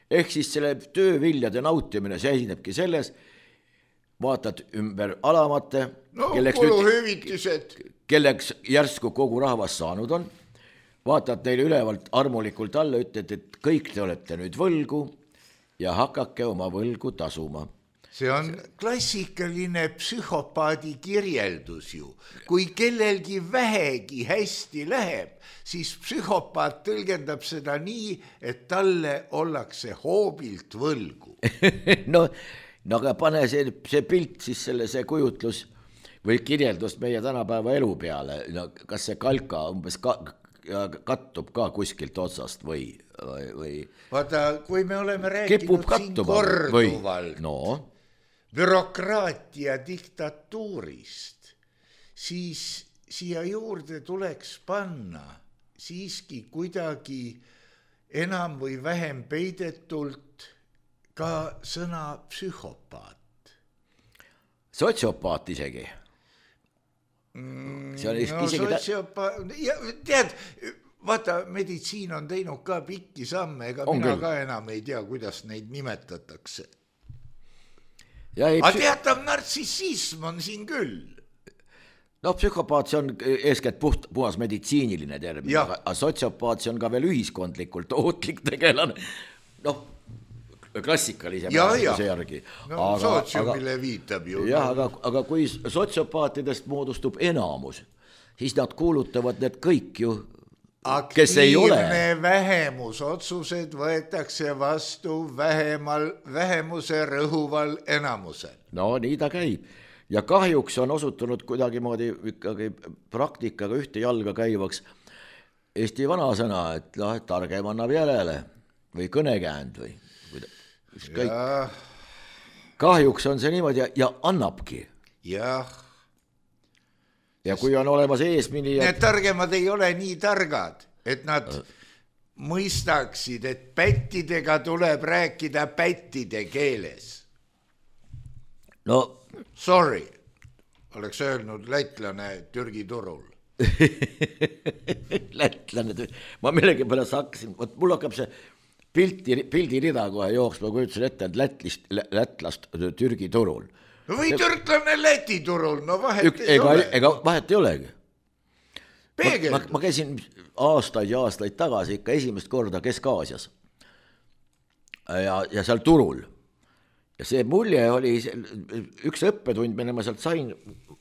Ehk siis selle tööviljade nautimine seisnebki selles, vaatad ümber alamate, no, kelleks, nüüd, kelleks järsku kogu rahvas saanud on, vaatad neile ülevalt armulikult alla, ütled, et kõik te olete nüüd võlgu ja hakake oma võlgu tasuma. See on klassikaline psühhopaadi kirjeldus ju. Kui kellelgi vähegi hästi läheb, siis psühhopaat tõlgendab seda nii, et talle ollakse hoobilt võlgu. no, no aga pane see, see pilt siis selle, see kujutlus või kirjeldus meie tänapäeva elu peale. No, kas see kalka umbes ka, kattub ka kuskilt otsast või, või... Vaata, kui me oleme rääkinud siin korduvalt no. bürokraatia diktatuurist, siis siia juurde tuleks panna siiski kuidagi enam või vähem peidetult ka sõna psühhopaat. Sotsiopaat isegi. Mm, no isegi sotsiopaat, ja, tead, vaata, meditsiin on teinud ka pikki samme, ega on mina küll. Ka enam ei tea, kuidas neid nimetatakse. Aga teatav nartsissism on siin küll. No psühhopaat, see on eeskätt puht, puhas meditsiiniline termin, aga sotsiopaat, see on ka veel ühiskondlikult ootlik tegelane. Noh, klassikalise määratuse järgi. No sotsiumile viitab ju. Jah, aga, aga kui sotsiopaatidest moodustub enamus, siis nad kuulutavad need kõik ju, kes ei ole. Aktiivne vähemusotsused võetakse vastu vähemal, vähemuse rõhuval enamusel. No nii ta käib. Ja kahjuks on osutunud kuidagi moodi ikkagi praktikaga ühte jalga käivaks Eesti vanasõna, et no, targem annab järele või kõnekäänd või kõik. Kahjuks on see niimoodi ja, ja annabki. Jah. Ja kui on olemas eesmini... Need targemad ei ole nii targad, et nad mõistaksid, et pättidega tuleb rääkida pättide keeles. No... Sorry, oleks öelnud lätlane Türgi turul. Lätlane, ma millegi pärast hakkasin, võt mul hakkab see pildi, pildi rida kohe jooksma, kui ütlesin ette, et lätlist, lätlast Türgi turul. või türklane Läti turul, no vahet Ük, ei ega, ole. Ega vahet ei olegi. Peegeldus. Ma, ma käisin aastaid ja aastaid tagasi ikka esimest korda Kesk-Aasias ja, ja seal turul. Ja see mulje oli üks õppetund, mille ma sealt sain,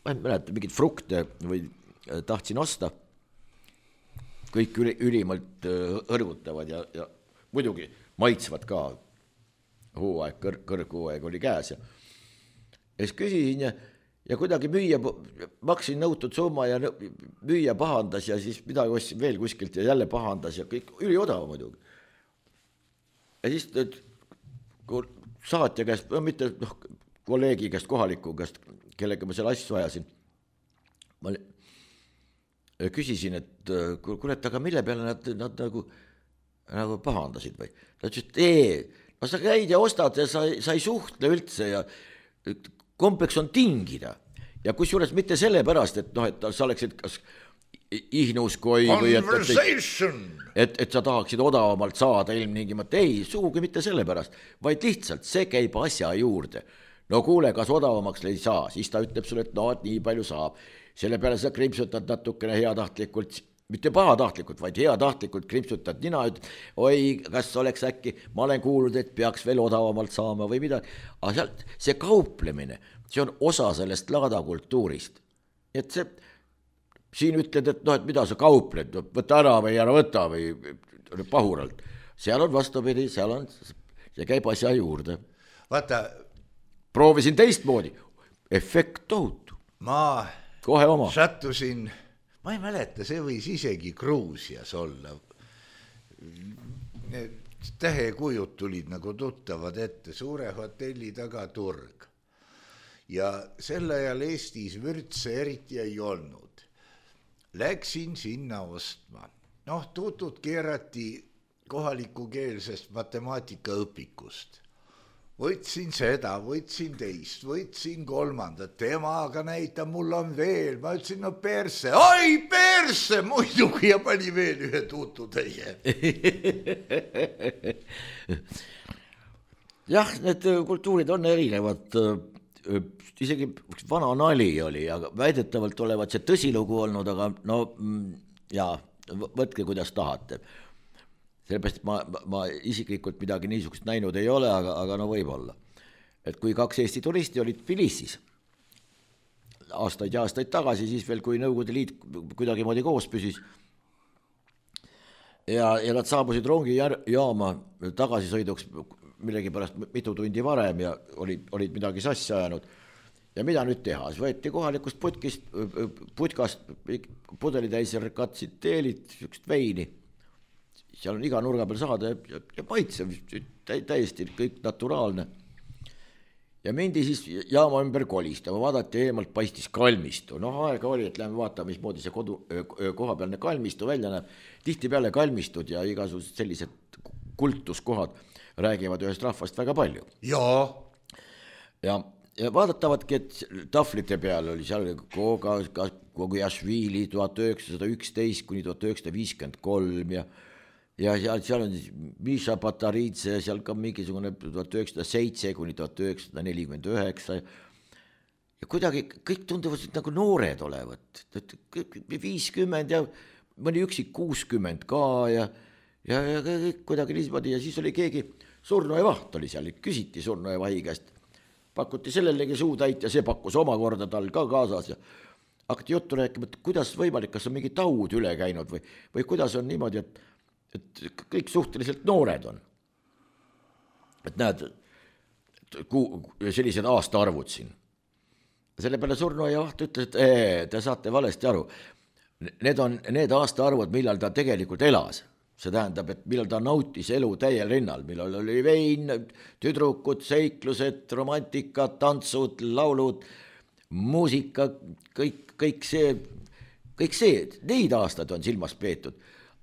ma ei mäleta, mingid frukte või tahtsin osta. Kõik üli, ülimalt hõrgutavad ja, ja muidugi maitsvad ka. Hooaeg, kõr, kõrghooaeg oli käes ja, ja siis küsisin ja, ja kuidagi müüa, maksin nõutud summa ja müüa pahandas ja siis midagi ostsin veel kuskilt ja jälle pahandas ja kõik üli odav muidugi. Ja siis saatja käest, mitte noh, kolleegi käest, kohaliku käest, kellega ma selle asju ajasin, ma küsisin, et kuule, et aga mille peale nad, nad nagu, nagu pahandasid või? Ta ütles, et ei, no sa käid ja ostad ja sa, sa ei suhtle üldse ja kompleks on tingida ja kusjuures mitte selle pärast, et noh, et sa oleksid kas ihnuskoi või et, et, et, et sa tahaksid odavamalt saada ilmtingimata, ei, sugugi mitte selle pärast, vaid lihtsalt see käib asja juurde. No kuule, kas odavamaks ei saa, siis ta ütleb sulle, et no, et nii palju saab. Selle peale sa krimpsutad natukene heatahtlikult, mitte pahatahtlikult, vaid heatahtlikult krimpsutad nina, et oi, kas oleks äkki, ma olen kuulnud, et peaks veel odavamalt saama või midagi, aga sealt see kauplemine, see on osa sellest laadakultuurist. Et see, siin ütled, et noh, et mida sa kaupled, võta ära või ära võta või pahuralt. Seal on vastupidi, seal on, see käib asja juurde. Vaata. Proovisin teistmoodi, efekt tohutu. Ma kohe oma. Sattusin, ma ei mäleta, see võis isegi Gruusias olla. Need tähekujud tulid nagu tuttavad ette, suure hotelli taga turg. Ja sel ajal Eestis vürtse eriti ei olnud. Läksin sinna ostma. Noh, tutut keerati kohalikukeelsest matemaatikaõpikust. Võtsin seda, võtsin teist, võtsin kolmandat, temaga näita, mul on veel, ma ütlesin, no perse, oi perse, muidugi ja pani veel ühe tutu teie. Jah, need kultuurid on erinevad, isegi vana nali oli, aga väidetavalt olevat see tõsilugu olnud, aga no jaa, võtke kuidas tahate. Sellepärast ma, ma isiklikult midagi niisugust näinud ei ole, aga, aga no võib olla. Et kui kaks Eesti turisti olid Tbilisis aastaid ja aastaid tagasi, siis veel kui Nõukogude Liit kuidagi moodi koos püsis ja, ja nad saabusid rongi jaama tagasisõiduks millegi pärast mitu tundi varem ja olid, olid midagi sassi ajanud. Ja mida nüüd teha? Siis võeti kohalikust putkist, putkast pudelitäisel katsid teelid, sükst veini. Seal on iga nurga peal saada ja, ja maitsev, täiesti kõik naturaalne. Ja mindi siis jaama ümber kolistama, vaadati eemalt paistis kalmistu. Noh, aega oli, et lähme vaatama, mismoodi see kodu, kohapealne kalmistu välja näeb. Tihti peale kalmistud ja igasugused sellised kultuskohad räägivad ühest rahvast väga palju. Jaa. Ja, ja vaadatavadki, et taflite peal oli seal Koga, Kogujašvili tuhat üheksasada üksteist kuni tuhat üheksasada viiskümmend kolm ja ja seal, seal on Miša Pataridze, seal ka mingisugune tuhat üheksasada seitse kuni tuhat üheksasada nelikümmend üheksa ja kuidagi kõik tunduvad nagu noored olevat, viiskümmend ja mõni üksik kuuskümmend ka ja, ja, ja kõik kuidagi niismoodi ja siis oli keegi surnuaia vaht oli seal, küsiti surnuaia vahi käest, pakuti sellelegi suutäit ja see pakkus omakorda tal ka kaasas ja hakati juttu rääkima, et kuidas võimalik, kas on mingi taud üle käinud või, või kuidas on niimoodi, et et kõik suhteliselt noored on. Et näed, sellised aastaarvud siin. Selle peale surnuaia vaht ütles, et ee, te saate valesti aru. Need on need aastaarvud, millal ta tegelikult elas. See tähendab, et millal ta nautis elu täiel rinnal, millal oli vein, tüdrukud, seiklused, romantika, tantsud, laulud, muusika, kõik, kõik see, kõik see, neid aastaid on silmas peetud.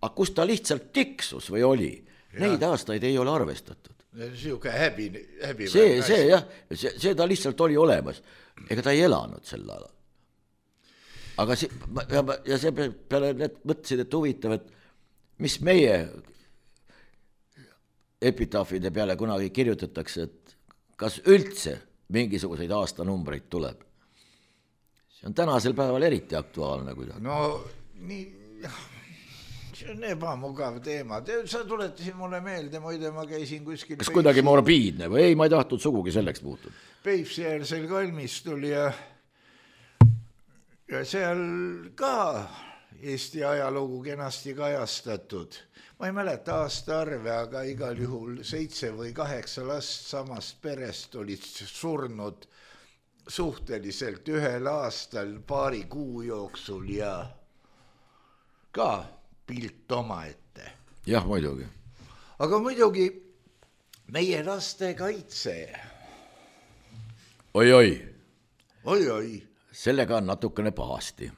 Aga kus ta lihtsalt tiksus või oli, ja. Neid aastaid ei ole arvestatud. Siuke häbi, häbi see, see jah, see, see ta lihtsalt oli olemas, ega ta ei elanud sel alal. Aga see, ja, ja see peale need mõtlesid, et huvitav, et mis meie epitaafide peale kunagi kirjutatakse, et kas üldse mingisuguseid aastanumbreid tuleb. See on tänasel päeval eriti aktuaalne kuidagi. No nii, see on ebamugav teema. Sa tuletasid mulle meelde, muide ma käisin kuskil... Kas kuidagi morbiidne või ei, ma ei tahtnud sugugi selleks muutuda. Peipsiäärsel kalmistul ja, ja seal ka Eesti ajalugu kenasti kajastatud. Ma ei mäleta aasta arve, aga igal juhul seitse või kaheksa last samast perest olid surnud suhteliselt ühel aastal paari kuu jooksul ja ka pilt oma ette. Jah, muidugi. Aga muidugi meie laste kaitse. Oi-oi. Oi-oi. Sellega on natukene pahasti.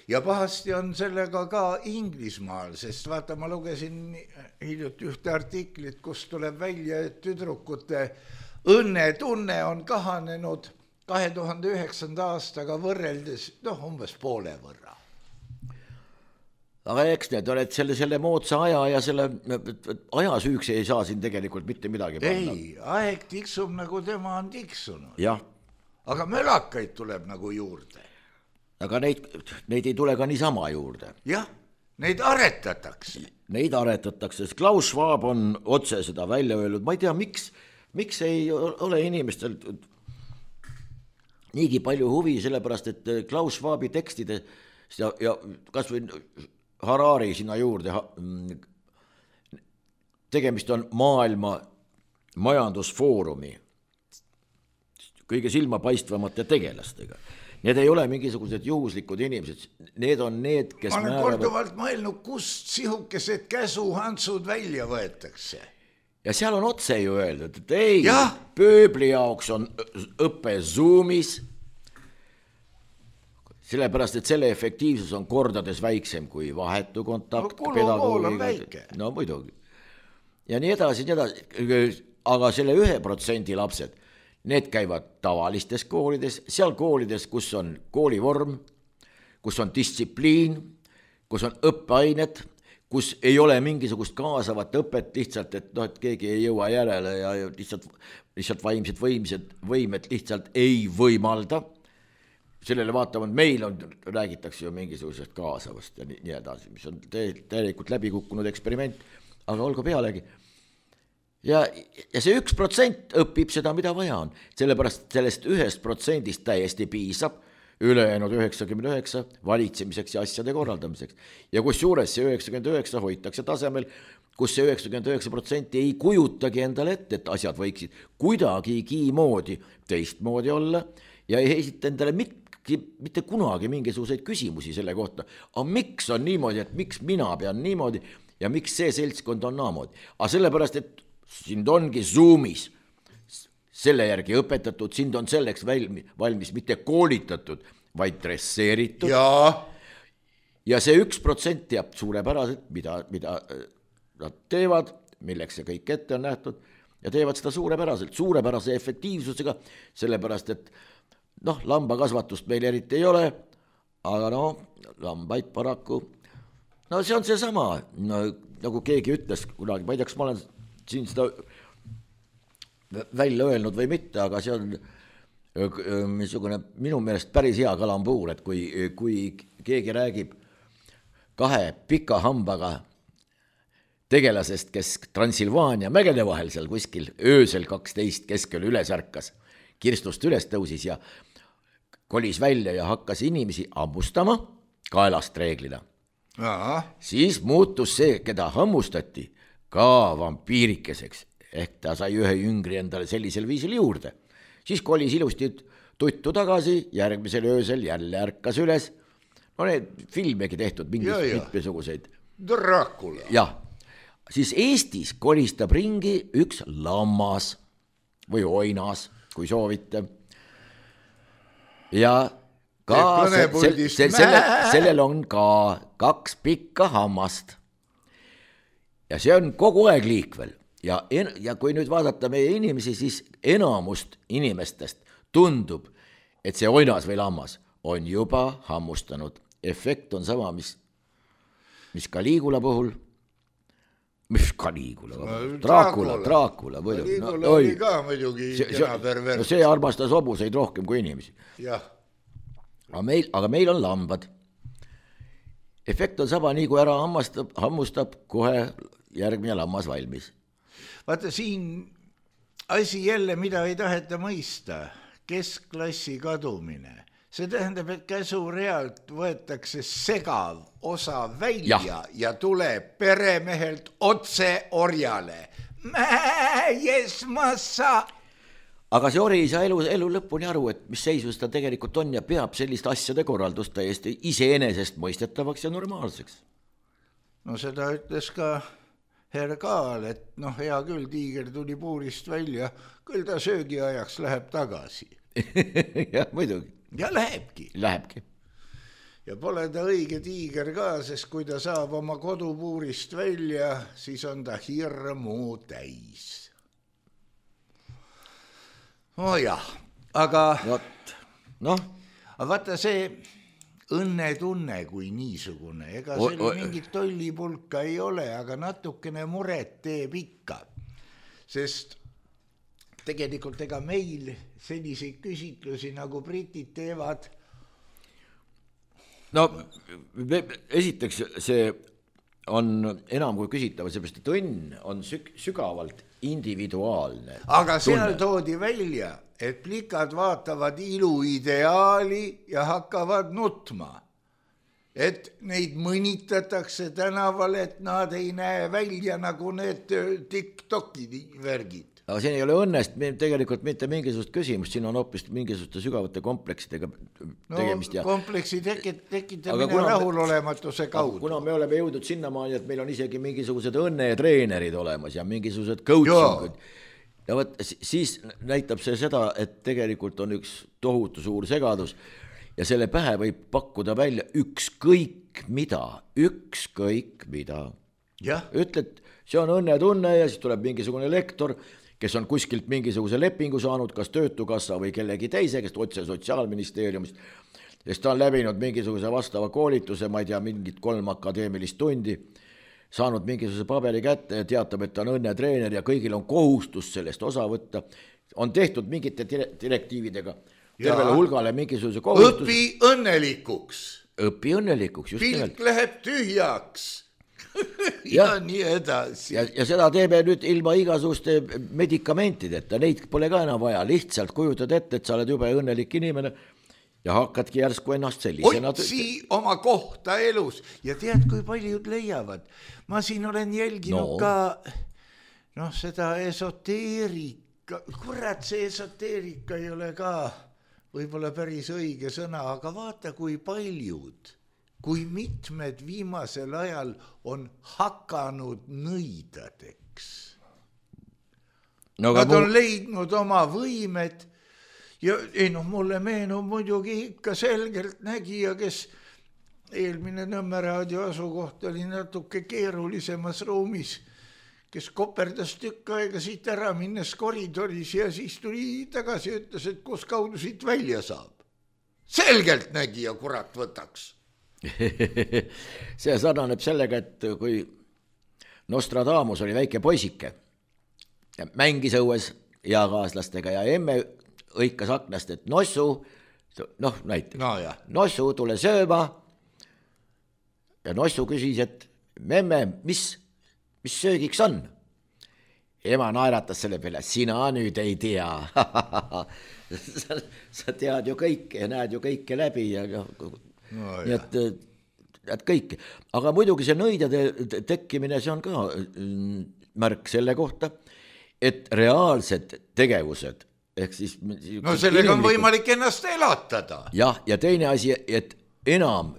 Ja pahasti on sellega ka Inglismaal, sest vaata, ma lugesin hiljuti ühte artiklit, kus tuleb välja, et tüdrukute õnnetunne on kahanenud kahe tuhande üheksanda aastaga võrreldes, noh, umbes poole võrra. Aga eks need oled selle, selle moodsa aja ja selle aja süüks ei saa siin tegelikult mitte midagi panna. Ei, aeg tiksub nagu tema on tiksunud. Jah. Aga mölakaid tuleb nagu juurde. Aga neid, neid ei tule ka niisama juurde. Jah, neid aretatakse. Neid aretatakse, sest Klaus Schwab on otse seda välja öelnud. Ma ei tea, miks, miks ei ole inimestel niigi palju huvi, sellepärast, et Klaus Schwabi tekstide ja, ja kas või Harari sinna juurde, tegemist on maailma majandusfoorumi kõige silmapaistvamate tegelastega. Need ei ole mingisugused juhuslikud inimesed, need on need, kes ma olen määravad... korduvalt mõelnud, kust sihukesed käsuhantsud välja võetakse. Ja seal on otse ju öeldud, et ei, ja? pööbli jaoks on õppe Zoomis, sellepärast, et selle efektiivsus on kordades väiksem kui vahetu kontakt. No kulukool on väike. No muidugi. Ja nii edasi, nii edasi, aga selle ühe protsendi lapsed, need käivad tavalistes koolides, seal koolides, kus on koolivorm, kus on distsipliin, kus on õppeained, kus ei ole mingisugust kaasavat õpet lihtsalt, et, no, et keegi ei jõua järele ja lihtsalt, lihtsalt vaimsed võimsed, võimed lihtsalt ei võimalda. Sellele vaatavad, meil on, räägitakse ju mingisugusest kaasavast ja nii, nii edasi, mis on täielikult läbi kukkunud eksperiment, aga olgu pealegi. Ja, ja see üks protsent õpib seda, mida vaja on, sellepärast sellest ühest protsendist täiesti piisab ülejäänud üheksakümmend üheksa valitsemiseks ja asjade korraldamiseks. Ja kus juures see üheksakümmend üheksa hoitakse tasemel, kus see üheksakümmend üheksa protsenti ei kujutagi endale ette, et asjad võiksid kuidagigi moodi teistmoodi olla ja ei esita endale mitte, mitte kunagi mingisuguseid küsimusi selle kohta. Aga miks on niimoodi, et miks mina pean niimoodi ja miks see seltskond on naamoodi? Aga sellepärast, et sind ongi Zoomis selle järgi õpetatud, sind on selleks valmis, valmis mitte koolitatud, vaid dresseeritud. Ja, ja see üks protsent teab suurepäraselt, mida, mida nad teevad, milleks see kõik ette on nähtud, ja teevad seda suurepäraselt, suurepärase efektiivsusega, sellepärast, et noh, lambakasvatust meil eriti ei ole, aga no, lambaid paraku, no see on see sama, no, nagu keegi ütles kunagi, ma ei tea, kas ma olen siin seda välja öelnud või mitte, aga see on missugune minu meelest päris hea kalambuur, et kui, kui keegi räägib kahe pika hambaga tegelasest, kes Transilvaania mägede vahel seal kuskil öösel kaksteist keskel üles ärkas, kirstust üles tõusis ja kolis välja ja hakkas inimesi hammustama kaelast reeglina. Aha. Siis muutus see, keda hammustati, ka vampiirikeseks, ehk ta sai ühe jüngri endale sellisel viisil juurde. Siis kolis ilusti tuttu tagasi, järgmisel öösel jälle ärkas üles. No need filmegi tehtud mingis mitmesuguseid. Dracula. Jah, siis Eestis kolistab ringi üks lammas või oinas, kui soovite. Ja ka se, se, se, selle, sellel on ka kaks pikka hammast. Ja see on kogu aeg liikvel ja, en, ja kui nüüd vaadata meie inimesi, siis enamust inimestest tundub, et see oinas või lammas on juba hammustanud. Efekt on sama, mis, mis Caligula puhul. mis Caligula, Dracula, Dracula muidu. Caligula no, oli ka muidugi kena pervert. No see armastas hobuseid rohkem kui inimesi. Jah. Aga meil, aga meil on lambad. Efekt on sama, nii kui ära hammastab, hammustab, kohe järgmine lammas valmis. Vaata siin asi jälle, mida ei taheta mõista, keskklassi kadumine. See tähendab, et käsurealt võetakse segav osa välja ja, ja tuleb peremehelt otse orjale. Mäes massa! Aga see ori ei saa elu, elu lõpuni aru, et mis seisus ta tegelikult on ja peab sellist asjade korraldust täiesti iseenesest mõistetavaks ja normaalseks. No seda ütles ka herr Kaal, et noh, hea küll, tiiger tuli puurist välja, küll ta söögi ajaks läheb tagasi. Jah, muidugi. Ja lähebki. Lähebki. Ja pole ta õige tiiger ka, sest kui ta saab oma kodupuurist välja, siis on ta hirmu täis. Oh jah, aga... Võt, noh. Aga vaata see õnnetunne kui niisugune, ega seal o, o, mingit tollipulka ei ole, aga natukene muret teeb ikka. Sest tegelikult ega meil selliseid küsitlusi nagu britid teevad. No esiteks see on enam kui küsitava, seepärast et õnn on süg- sügavalt individuaalne. Aga seal toodi välja, et plikad vaatavad iluideaali ja hakkavad nutma. Et neid mõnitatakse tänaval, et nad ei näe välja nagu need TikToki värgid. Aga siin ei ole õnnest tegelikult mitte mingisugust küsimust, siin on hoopis mingisuguste sügavate kompleksidega tegemist. No kompleksi tekitamine rahulolematuse kaudu. Kuna me oleme jõudnud sinnamaani, et meil on isegi mingisugused õnnetreenerid olemas ja mingisugused coachingud. Ja võt, siis näitab see seda, et tegelikult on üks tohutu suur segadus ja selle pähe võib pakkuda välja ükskõik mida, ükskõik mida. Ja. Ütled, see on õnnetunne ja siis tuleb mingisugune lektor, kes on kuskilt mingisuguse lepingu saanud, kas töötukassa või kellegi teise, kes otse sotsiaalministeeriumist, sest ta on läbinud mingisuguse vastava koolituse, ma ei tea, mingit kolm akadeemilist tundi, saanud mingisuguse paberi kätte ja teatab, et ta on õnnetreener ja kõigil on kohustus sellest osa võtta. On tehtud mingite direktiividega tervele hulgale mingisuguse kohustus. Õpi õnnelikuks. Õpi õnnelikuks, just nimelt. Pilk läheb tühjaks. ja, ja nii edasi. Ja, ja seda teeme nüüd ilma igasuguste medikamentideta, neid pole ka enam vaja, lihtsalt kujutad ette, et sa oled jube õnnelik inimene ja hakkadki järsku ennast sellisena. Otsi oma kohta elus ja tead, kui paljud leiavad. Ma siin olen jälginud no. ka noh, seda esoteerika, kurat, see esoteerika ei ole ka võib-olla päris õige sõna, aga vaata, kui paljud kui mitmed viimasel ajal on hakanud nõidadeks. No, Nad on mul... leidnud oma võimed ja ei noh, mulle meenub muidugi ikka selgelt nägija, kes eelmine Nõmme raadio asukoht oli natuke keerulisemas ruumis, kes koperdas tükk aega siit ära minnes koridoris ja siis tuli tagasi ja ütles, et kus kaudu siit välja saab. Selgelt nägija, kurat, võtaks. See sarnaneb sellega, et kui Nostradamus oli väike poisike ja mängis õues eakaaslastega ja emme õikas aknast, et nossu, noh näiteks, no, nossu tule sööma ja nossu küsis, et memme, mis, mis söögiks on? Ema naeratas selle peale, sina nüüd ei tea. sa, sa tead ju kõike ja näed ju kõike läbi ja noh, No, nii et, et kõik, aga muidugi see nõidade tekkimine, see on ka märk selle kohta, et reaalsed tegevused ehk siis no sellega on võimalik ennast elatada. Jah, ja teine asi, et enam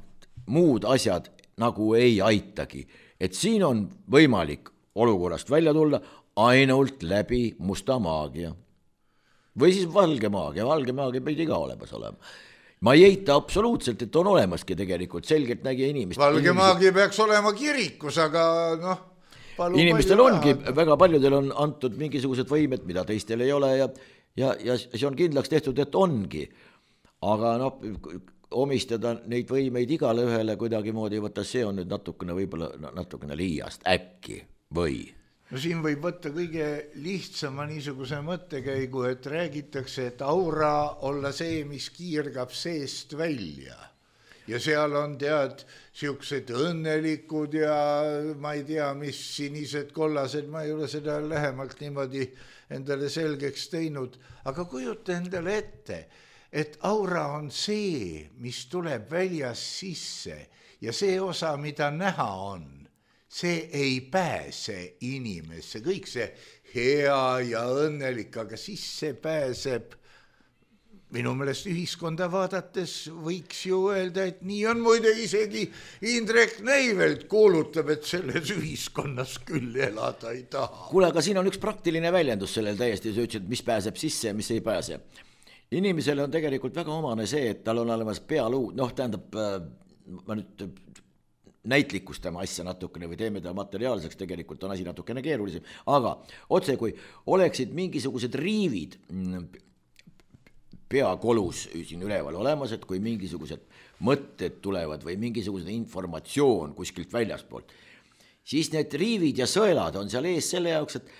muud asjad nagu ei aitagi, et siin on võimalik olukorrast välja tulla ainult läbi musta maagia või siis valge maagia, valge maagia pidi ka olemas olema. Ma ei eita absoluutselt, et on olemaski tegelikult selgelt nägija inimest. Valge maagi peaks olema kirikus, aga noh. Inimestel ongi, raha. Väga paljudel on antud mingisugused võimed, mida teistel ei ole ja, ja, ja see on kindlaks tehtud, et ongi. Aga noh, omistada neid võimeid igale ühele kuidagi moodi, võtta see on nüüd natukene võib-olla natukene liiast äkki. või? No siin võib võtta kõige lihtsama niisuguse mõttekäigu, et räägitakse, et aura olla see, mis kiirgab seest välja. Ja seal on tead siuksed õnnelikud ja ma ei tea, mis sinised kollased, ma ei ole seda lähemalt niimoodi endale selgeks teinud, aga kujuta endale ette, et aura on see, mis tuleb väljas sisse ja see osa, mida näha on, see ei pääse inimesse, kõik see hea ja õnnelik, aga siis see pääseb. Minu meelest ühiskonda vaadates võiks ju öelda, et nii on, muide isegi Indrek Neivelt kuulutab, et selles ühiskonnas küll elada ei taha. Kuule, aga siin on üks praktiline väljendus sellel täiesti, sa ütlesid, mis pääseb sisse ja mis ei pääse. Inimesele on tegelikult väga omane see, et tal on olemas pealuu, noh tähendab, ma nüüd näitlikustama asja natukene või teeme ta materiaalseks, tegelikult on asi natukene keerulisem, aga otse kui oleksid mingisugused riivid peakolus siin üleval olemas, et kui mingisugused mõtted tulevad või mingisugused informatsioon kuskilt väljaspoolt, siis need riivid ja sõelad on seal ees selle jaoks, et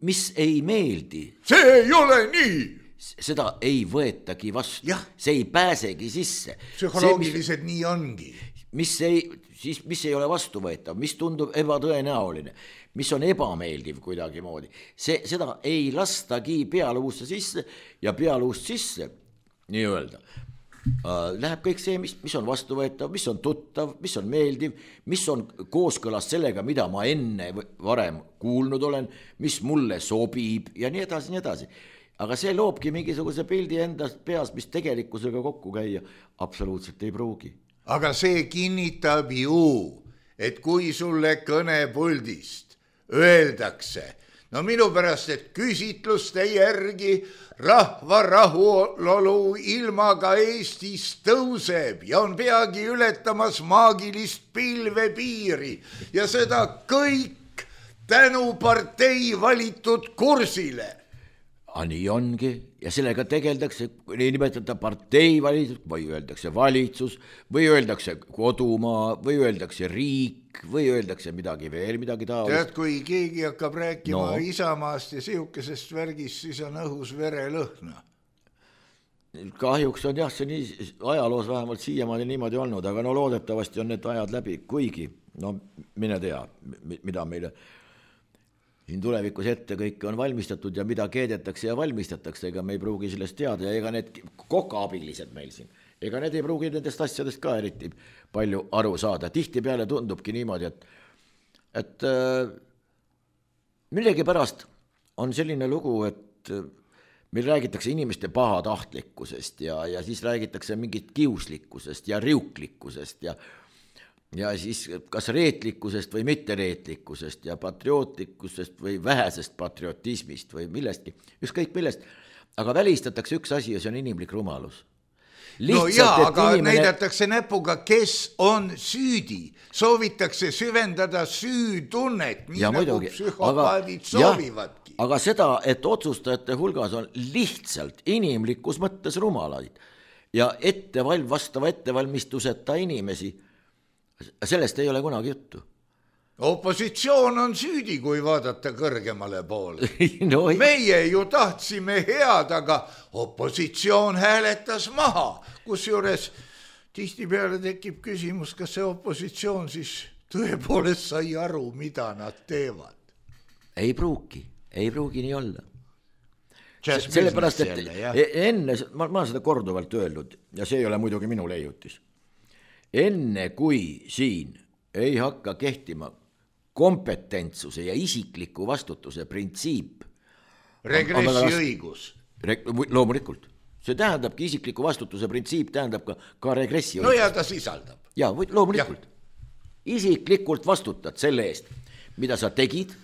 mis ei meeldi. See ei ole nii! Seda ei võetagi vastu, jah. See ei pääsegi sisse. Psühholoogiliselt nii ongi. Mis ei, siis, mis ei ole vastuvõetav, mis tundub ebatõenäoline, mis on ebameeldiv kuidagi moodi. See, seda ei lastagi pealuusse sisse ja pealuust sisse, nii öelda. Läheb kõik see, mis, mis on vastuvõetav, mis on tuttav, mis on meeldiv, mis on kooskõlas sellega, mida ma enne varem kuulnud olen, mis mulle sobib ja nii edasi, nii edasi. Aga see loobki mingisuguse pildi endast peas, mis tegelikkusega kokku käia absoluutselt ei pruugi. Aga see kinnitab ju, et kui sulle kõnepuldist öeldakse, no minu pärast, et küsitluste järgi rahva rahulolu ilmaga Eestis tõuseb ja on peagi ületamas maagilist pilvepiiri ja seda kõik tänu partei valitud kursile. A nii ongi ja sellega tegeldakse, ei nimetata partei valitsus või öeldakse valitsus või öeldakse kodumaa või öeldakse riik või öeldakse midagi veel, midagi taolist. Tead, kui keegi hakkab rääkima no. Isamaast ja sihukesest värgist, siis on õhus verelõhna. Kahjuks on jah, see nii, ajaloos vähemalt siiamaani niimoodi olnud, aga no loodetavasti on need ajad läbi, kuigi, no mine tea, mida meile siin tulevikus ette kõik on valmistatud ja mida keedetakse ja valmistatakse, ega me ei pruugi sellest teada ja ega need kokaabilised meil siin, ega need ei pruugi nendest asjadest ka eriti palju aru saada. Tihti peale tundubki niimoodi, et, et äh, millegi pärast on selline lugu, et meil räägitakse inimeste pahatahtlikkusest ja, ja siis räägitakse mingit kiuslikkusest ja riuklikkusest ja ja siis kas reetlikkusest või mittereetlikkusest ja patriootlikkusest või vähesest patriotismist või millestki, ükskõik millest, aga välistatakse üks asi ja see on inimlik rumalus. Lihtsalt, no jaa, aga inimene... näidatakse näpuga, kes on süüdi, soovitakse süvendada süütunnet, nii ja nagu muidugi, psühhopaadid aga, soovivadki. Aga seda, et otsustajate hulgas on lihtsalt inimlikus mõttes rumalaid ja etteval, vastava ettevalmistuseta inimesi, sellest ei ole kunagi juttu. Opositsioon on süüdi, kui vaadata kõrgemale poole. No, meie ju tahtsime head, aga opositsioon hääletas maha, kusjuures tihtipeale tekib küsimus, kas see opositsioon siis tõepoolest sai aru, mida nad teevad. Ei pruugi, ei pruugi nii olla. Sellepärast, et jälle, enne, ma, ma olen seda korduvalt öelnud ja see ei ole muidugi minu leiutis. Enne kui siin ei hakka kehtima kompetentsuse ja isikliku vastutuse printsiip. Regressiõigus. Loomulikult. See tähendabki isikliku vastutuse printsiip, tähendab ka, ka regressiõigus. No ja ta sisaldab. Ja, loomulikult. Ja. Isiklikult vastutad selle eest, mida sa tegid,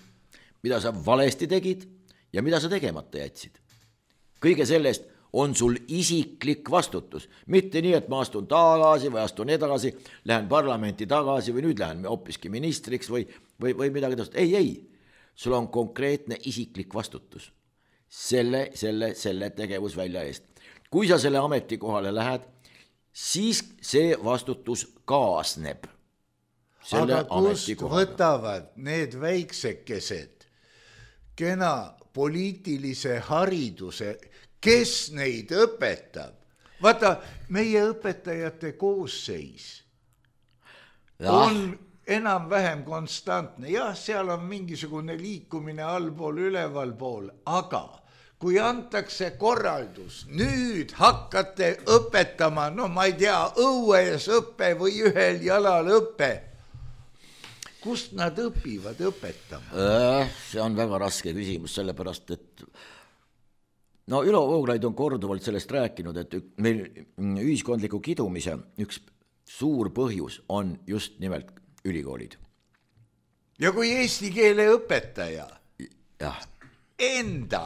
mida sa valesti tegid ja mida sa tegemata jätsid. Kõige sellest on sul isiklik vastutus. Mitte nii, et ma astun tagasi või astun edasi, lähen parlamenti tagasi või nüüd lähen hoopiski ministriks või, või, või midagi tõst. Ei, ei. Sul on konkreetne isiklik vastutus. Selle, selle, selle tegevusvälja eest. Kui sa selle ametikohale lähed, siis see vastutus kaasneb aga kust võtavad need väiksekesed kena poliitilise hariduse, kes neid õpetab? Vaata, meie õpetajate koosseis ja. on enam-vähem konstantne. Jah, seal on mingisugune liikumine allpool, ülevalpool, aga kui antakse korraldus, nüüd hakkate õpetama, no ma ei tea, õues õppe või ühel jalal õppe, kust nad õpivad õpetama? See on väga raske küsimus, sellepärast, et no Ülo Vooglaid on korduvalt sellest rääkinud, et meil ühiskondliku kidumise üks suur põhjus on just nimelt ülikoolid. Ja kui eesti keele õpetaja ja. enda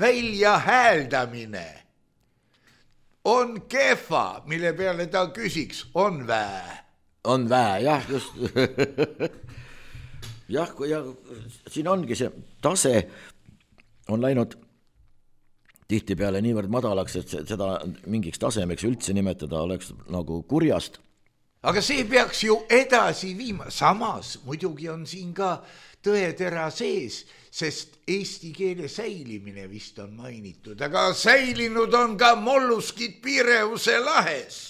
välja hääldamine on kehva, mille peale ta küsiks, on vää? On vää, jah, just. jah, ja siin ongi see tase on läinud tihtipeale niivõrd madalaks, et seda mingiks tasemeks üldse nimetada oleks nagu kurjast. Aga see peaks ju edasi viima. Samas muidugi on siin ka tõetera sees, sest eesti keele säilimine vist on mainitud, aga säilinud on ka molluskid Pireuse lahes.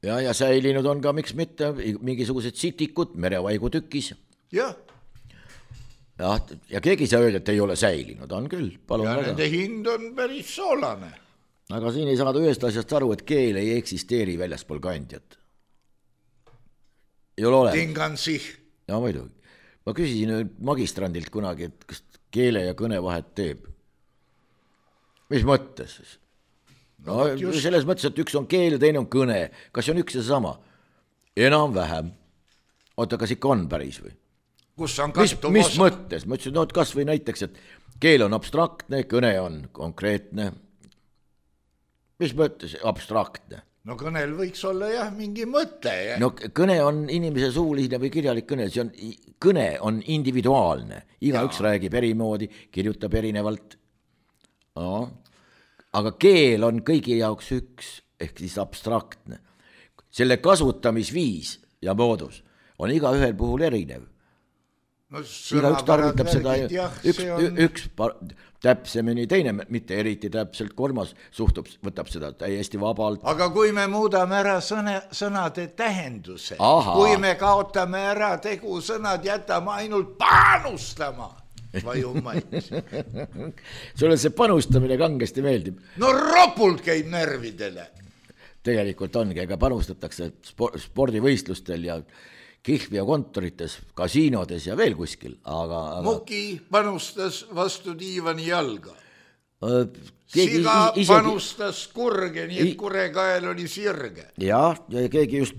Ja, ja säilinud on ka, miks mitte, mingisugused sitikud merevaigu tükis. Jah. Ja, ja keegi saa öelda, et ei ole säilinud, on küll. Palun ja väga. Nende hind on päris soolane. Aga siin ei saada ühest asjast aru, et keel ei eksisteeri väljaspool kandjat. Ei ole ole. Tingansih. Ja muidugi. Ma küsisin magistrandilt kunagi, et kas keele ja kõne vahet teeb. Mis mõttes? No, no selles mõttes, et üks on keel ja teine on kõne. Kas on üks ja sama? Enam vähem. Oota, kas ikka on päris või? Kus on mis, mis mõttes? Ma ütlesin, no kas või näiteks, et keel on abstraktne, kõne on konkreetne. Mis mõttes abstraktne? No kõnel võiks olla jah mingi mõte. Ja? No kõne on inimese suuline või kirjalik kõne, see on, kõne on individuaalne. Iga ja. Üks räägib erimoodi, kirjutab erinevalt. No. Aga keel on kõigi jaoks üks, ehk siis abstraktne. Selle kasutamisviis ja moodus on iga ühel puhul erinev. No, iga üks tarvitab seda, jah, üks, on... üks täpsemini, teine mitte eriti täpselt, kolmas suhtub, võtab seda täiesti vabalt. Aga kui me muudame ära sõne, sõnade tähenduse, Aha. kui me kaotame ära tegusõnad, jätame ainult panustama, vajumaid. Sulle see panustamine kangesti meeldib. No ropult käib närvidele. Tegelikult ongi, ega panustatakse spordivõistlustel ja Kihvia kontorites, kasiinodes ja veel kuskil, aga... aga... Muki panustas vastu diivani jalga. Keegi Siga isegi... panustas kurge, nii et kurekael oli sirge. Jah, ja keegi just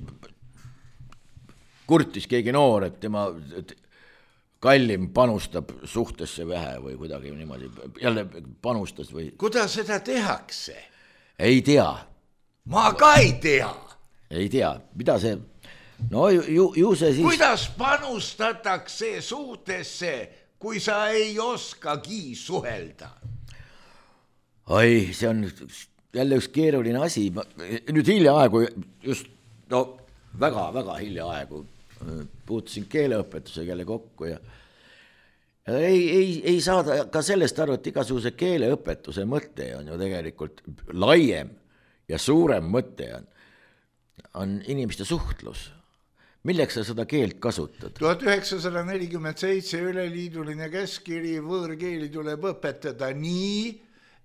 kurtis keegi noor, et tema kallim panustab suhtesse vähe või kuidagi niimoodi. Jälle panustas või... Kuidas seda tehakse? Ei tea. Ma ka ei tea. Ei tea, mida see... No ju, ju see siis... Kuidas panustatakse suhtesse, kui sa ei oskagi suhelda? Oi, see on jälle üks keeruline asi. Nüüd hiljaaegu, just no, väga, väga hiljaaegu puutusin keeleõpetusega jälle kokku ja ei, ei, ei saada ka sellest aru, et igasuguse keeleõpetuse mõte on ju tegelikult laiem ja suurem mõte on, on inimeste suhtlus. Milleks sa seda keelt kasutad? tuhat üheksasada nelikümmend seitse üleliiduline käskkiri võõrkeeli tuleb õpetada nii,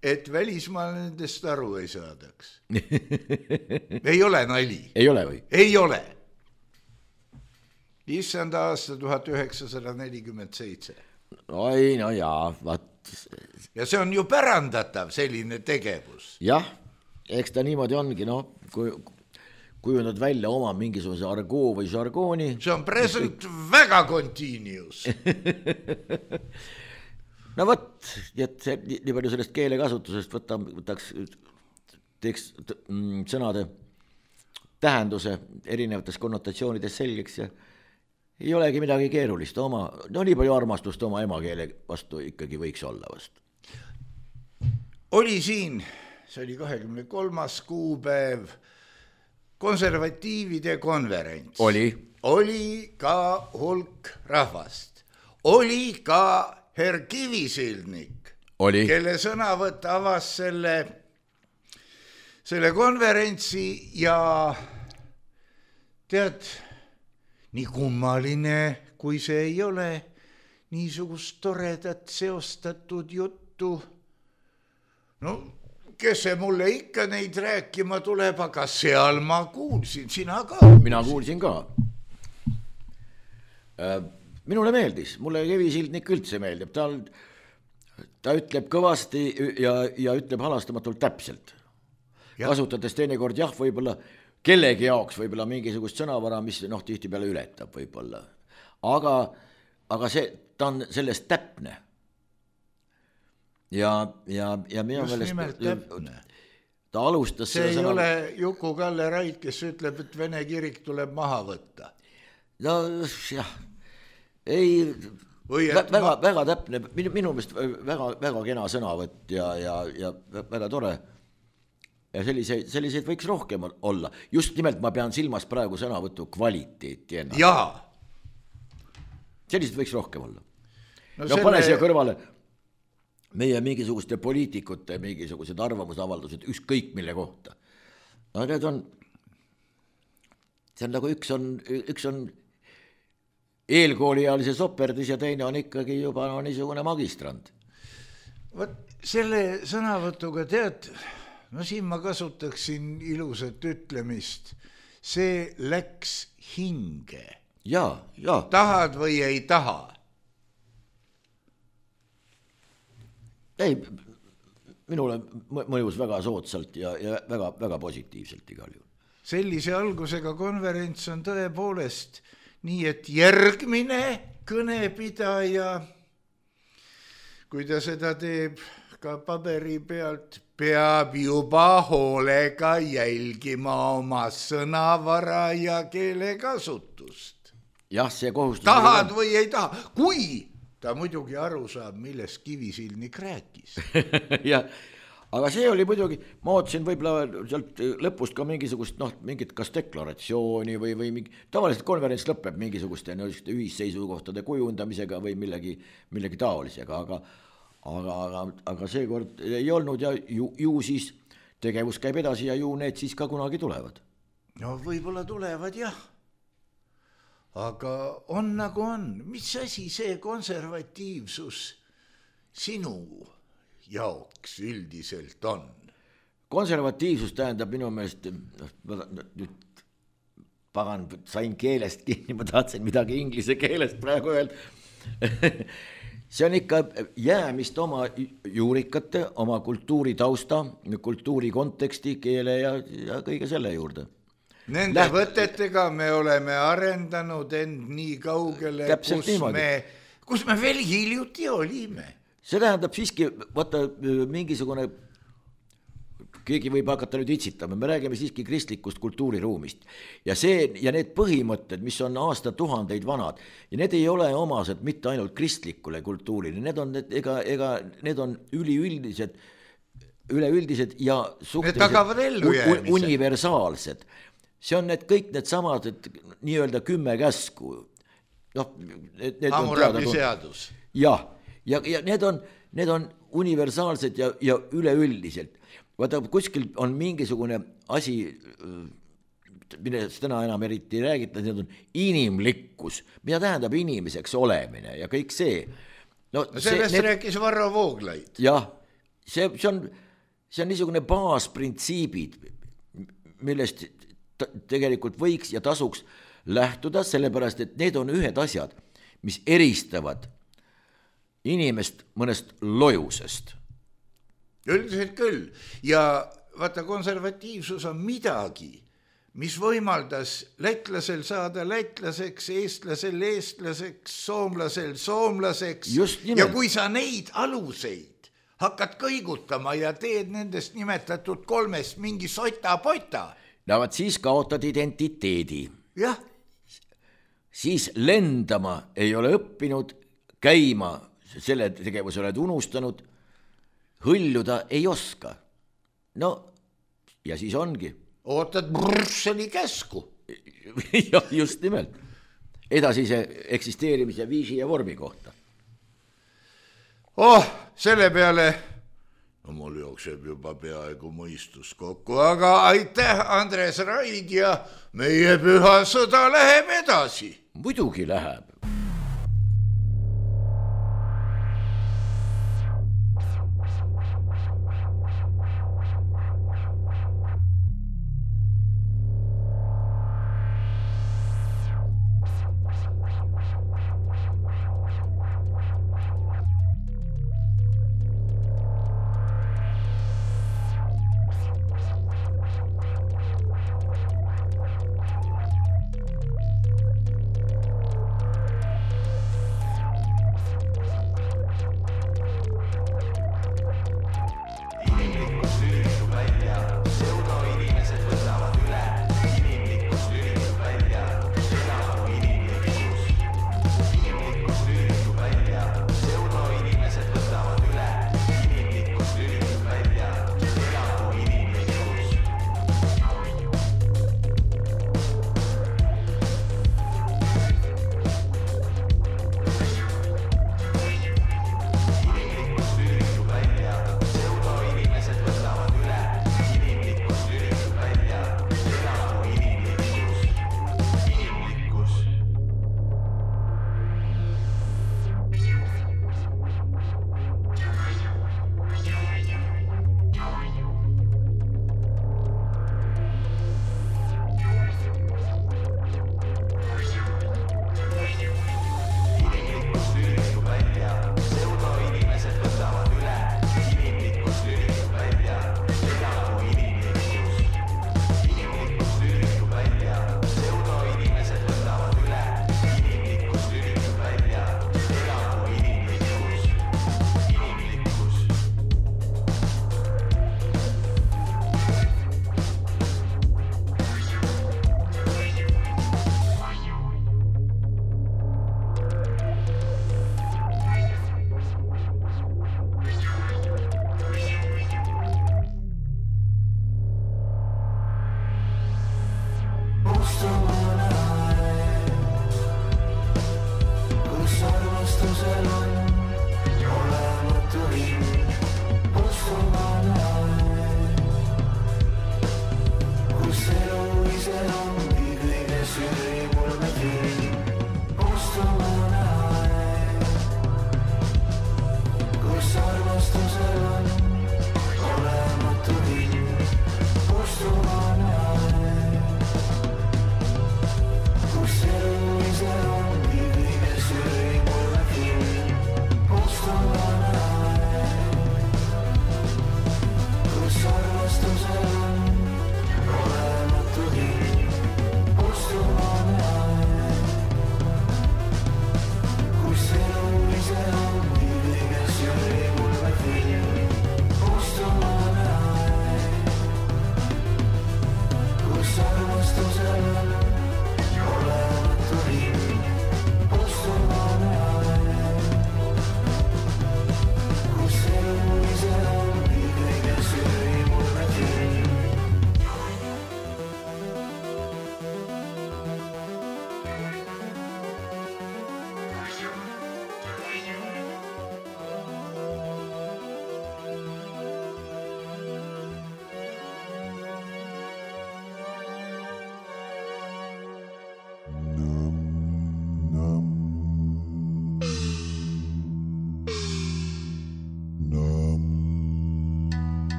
et välismaal nendest aru ei saadaks. Ei ole nali. Ei ole või? Ei ole. Issanda aasta tuhat üheksasada nelikümmend seitse. Oi, no jaa, vaat. Ja see on ju pärandatav selline tegevus. Jah, eks ta niimoodi ongi, no, kui... kujundad välja oma mingisuguse argoo või žargooni. See on present väga continuous. No võt, et see, nii palju sellest keele kasutusest võta, võtaks teeks sõnade tähenduse erinevates konnotatsioonides selgeks ja ei olegi midagi keerulist. Oma, no nii palju armastust oma emakeele vastu ikkagi võiks olla vast. Oli siin, see oli kahekümne kolmas kuupäev, konservatiivide konverents. Oli. oli ka hulk rahvast, oli ka herr Kivisildnik, oli. kelle sõnavõtt avas selle, selle konverentsi ja tead, nii kummaline, kui see ei ole, niisugust toredat seostatud juttu. No, kes see mulle ikka neid rääkima tuleb, aga seal ma kuulsin, sina ka. Mina kuulsin ka. Minule meeldis, mulle Kivisildnik üldse meeldib, ta, ta ütleb kõvasti ja, ja ütleb halastamatult täpselt. Ja. Kasutades teinekord jah, võib-olla kellegi jaoks võib-olla mingisugust sõnavara, mis noh, tihti peale ületab võib-olla. Aga, aga see, ta on sellest täpne. Ja, ja, ja minu just nimelt täpne. Ta alustas see ei sõna... ole Juku-Kalle Raid, kes ütleb, et Vene kirik tuleb maha võtta. No jah, ei, väga, ma... väga täpne, minu, minu meelest väga, väga kena sõnavõtt ja, ja, ja väga tore. Ja selliseid, selliseid võiks rohkem olla. Just nimelt ma pean silmas praegu sõnavõtu kvaliteeti ennast. Jaa. Selliseid võiks rohkem olla. No, no selle... pane siia kõrvale meie mingisuguste poliitikute mingisugused arvamusavaldused ükskõik mille kohta. No need on, see on nagu üks on, üks on eelkooliealise soperdis ja teine on ikkagi juba no, niisugune magistrand. Võt, selle sõnavõtuga tead, no siin ma kasutaksin ilusat ütlemist, see läks hinge. Ja, ja. Tahad või ei taha? Ei, minule mõjus väga soodsalt ja, ja väga, väga positiivselt igal juhul. Sellise algusega konverents on tõepoolest nii, et järgmine kõnepidaja, kui ta seda teeb ka paberi pealt, peab juba hoolega jälgima oma sõnavara ja keelekasutust. Jah, see kohustus... Tahad või ei taha, kui ta muidugi aru saab, millest Kivisildnik rääkis. Ja, aga see oli muidugi, ma ootsin võib-olla sealt lõpust ka mingisugust, noh, mingit kas deklaratsiooni või, või mingi, tavaliselt konverents lõpeb mingisuguste ühisseisukohtade kujundamisega või millegi, millegi taolisega, aga, aga, aga, aga seekord ei olnud ja ju, ju siis tegevus käib edasi ja ju need siis ka kunagi tulevad. No võib-olla tulevad jah. Aga on nagu on, mis asi see konservatiivsus sinu jaoks üldiselt on? Konservatiivsus tähendab minu meelest, nüüd pagan, sain keelest kinni, ma tahtsin midagi inglise keelest praegu öelda. See on ikka jäämist oma juurikate, oma kultuuri tausta, kultuuri konteksti, keele ja, ja kõige selle juurde. Nende Läht... võtetega me oleme arendanud end nii kaugele, kus me, kus me veel hiljuti olime. See tähendab siiski, vaata mingisugune, keegi võib hakata nüüd itsitama, me räägime siiski kristlikust kultuuriruumist. Ja, see, ja need põhimõtted, mis on aastatuhandeid vanad, ja need ei ole omased mitte ainult kristlikule kultuurile, need on, ega, ega, need on üliüldised, üleüldised ja suhteliselt universaalsed. See on need kõik need samad, et nii-öelda kümme käsku. No, need, need Hammurabi seadus. Jah, ja, ja need on, need on universaalsed ja, ja üleüldiselt. Vaata, kuskil on mingisugune asi, millest täna enam eriti räägita, need on inimlikkus, mida tähendab inimeseks olemine ja kõik see. No, no sellest see, need, rääkis Varro Vooglaid. Jah, see, see, on, see on niisugune baasprintsiibid, millest tegelikult võiks ja tasuks lähtuda, sellepärast, et need on ühed asjad, mis eristavad inimest mõnest lojusest. Üldiselt küll. Ja vaata, konservatiivsus on midagi, mis võimaldas lätlasel saada lätlaseks, eestlasel eestlaseks, soomlasel soomlaseks. Ja kui sa neid aluseid hakkad kõigutama ja teed nendest nimetatud kolmest mingi sota-pota, no vaat siis kaotad identiteedi. Jah. Siis lendama ei ole õppinud, käima selle tegevuse oled unustanud, hõljuda ei oska. No, ja siis ongi. Ootad Brüsseli käsku. Ja, just nimelt. edasise eksisteerimise viisi ja vormi kohta. Oh, selle peale no mul jookseb juba peaaegu mõistus kokku, aga aitäh, Andres Raid ja meie püha sõda läheb edasi. Muidugi läheb.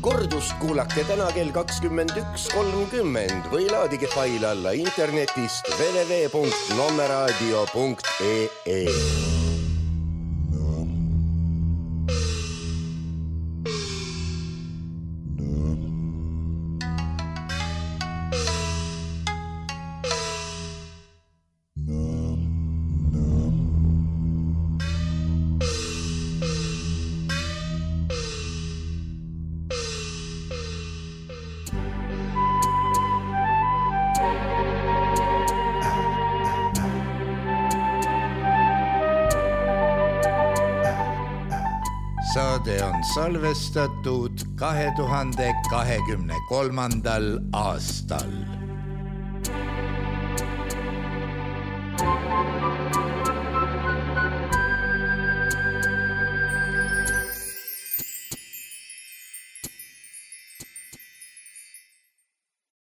Kordust kuulake täna kell kakskümmend üks kolmkümmend või laadige fail alla internetist w w w punkt nommeradio punkt e e. saade on salvestatud kahe tuhande kahekümne kolmandal aastal.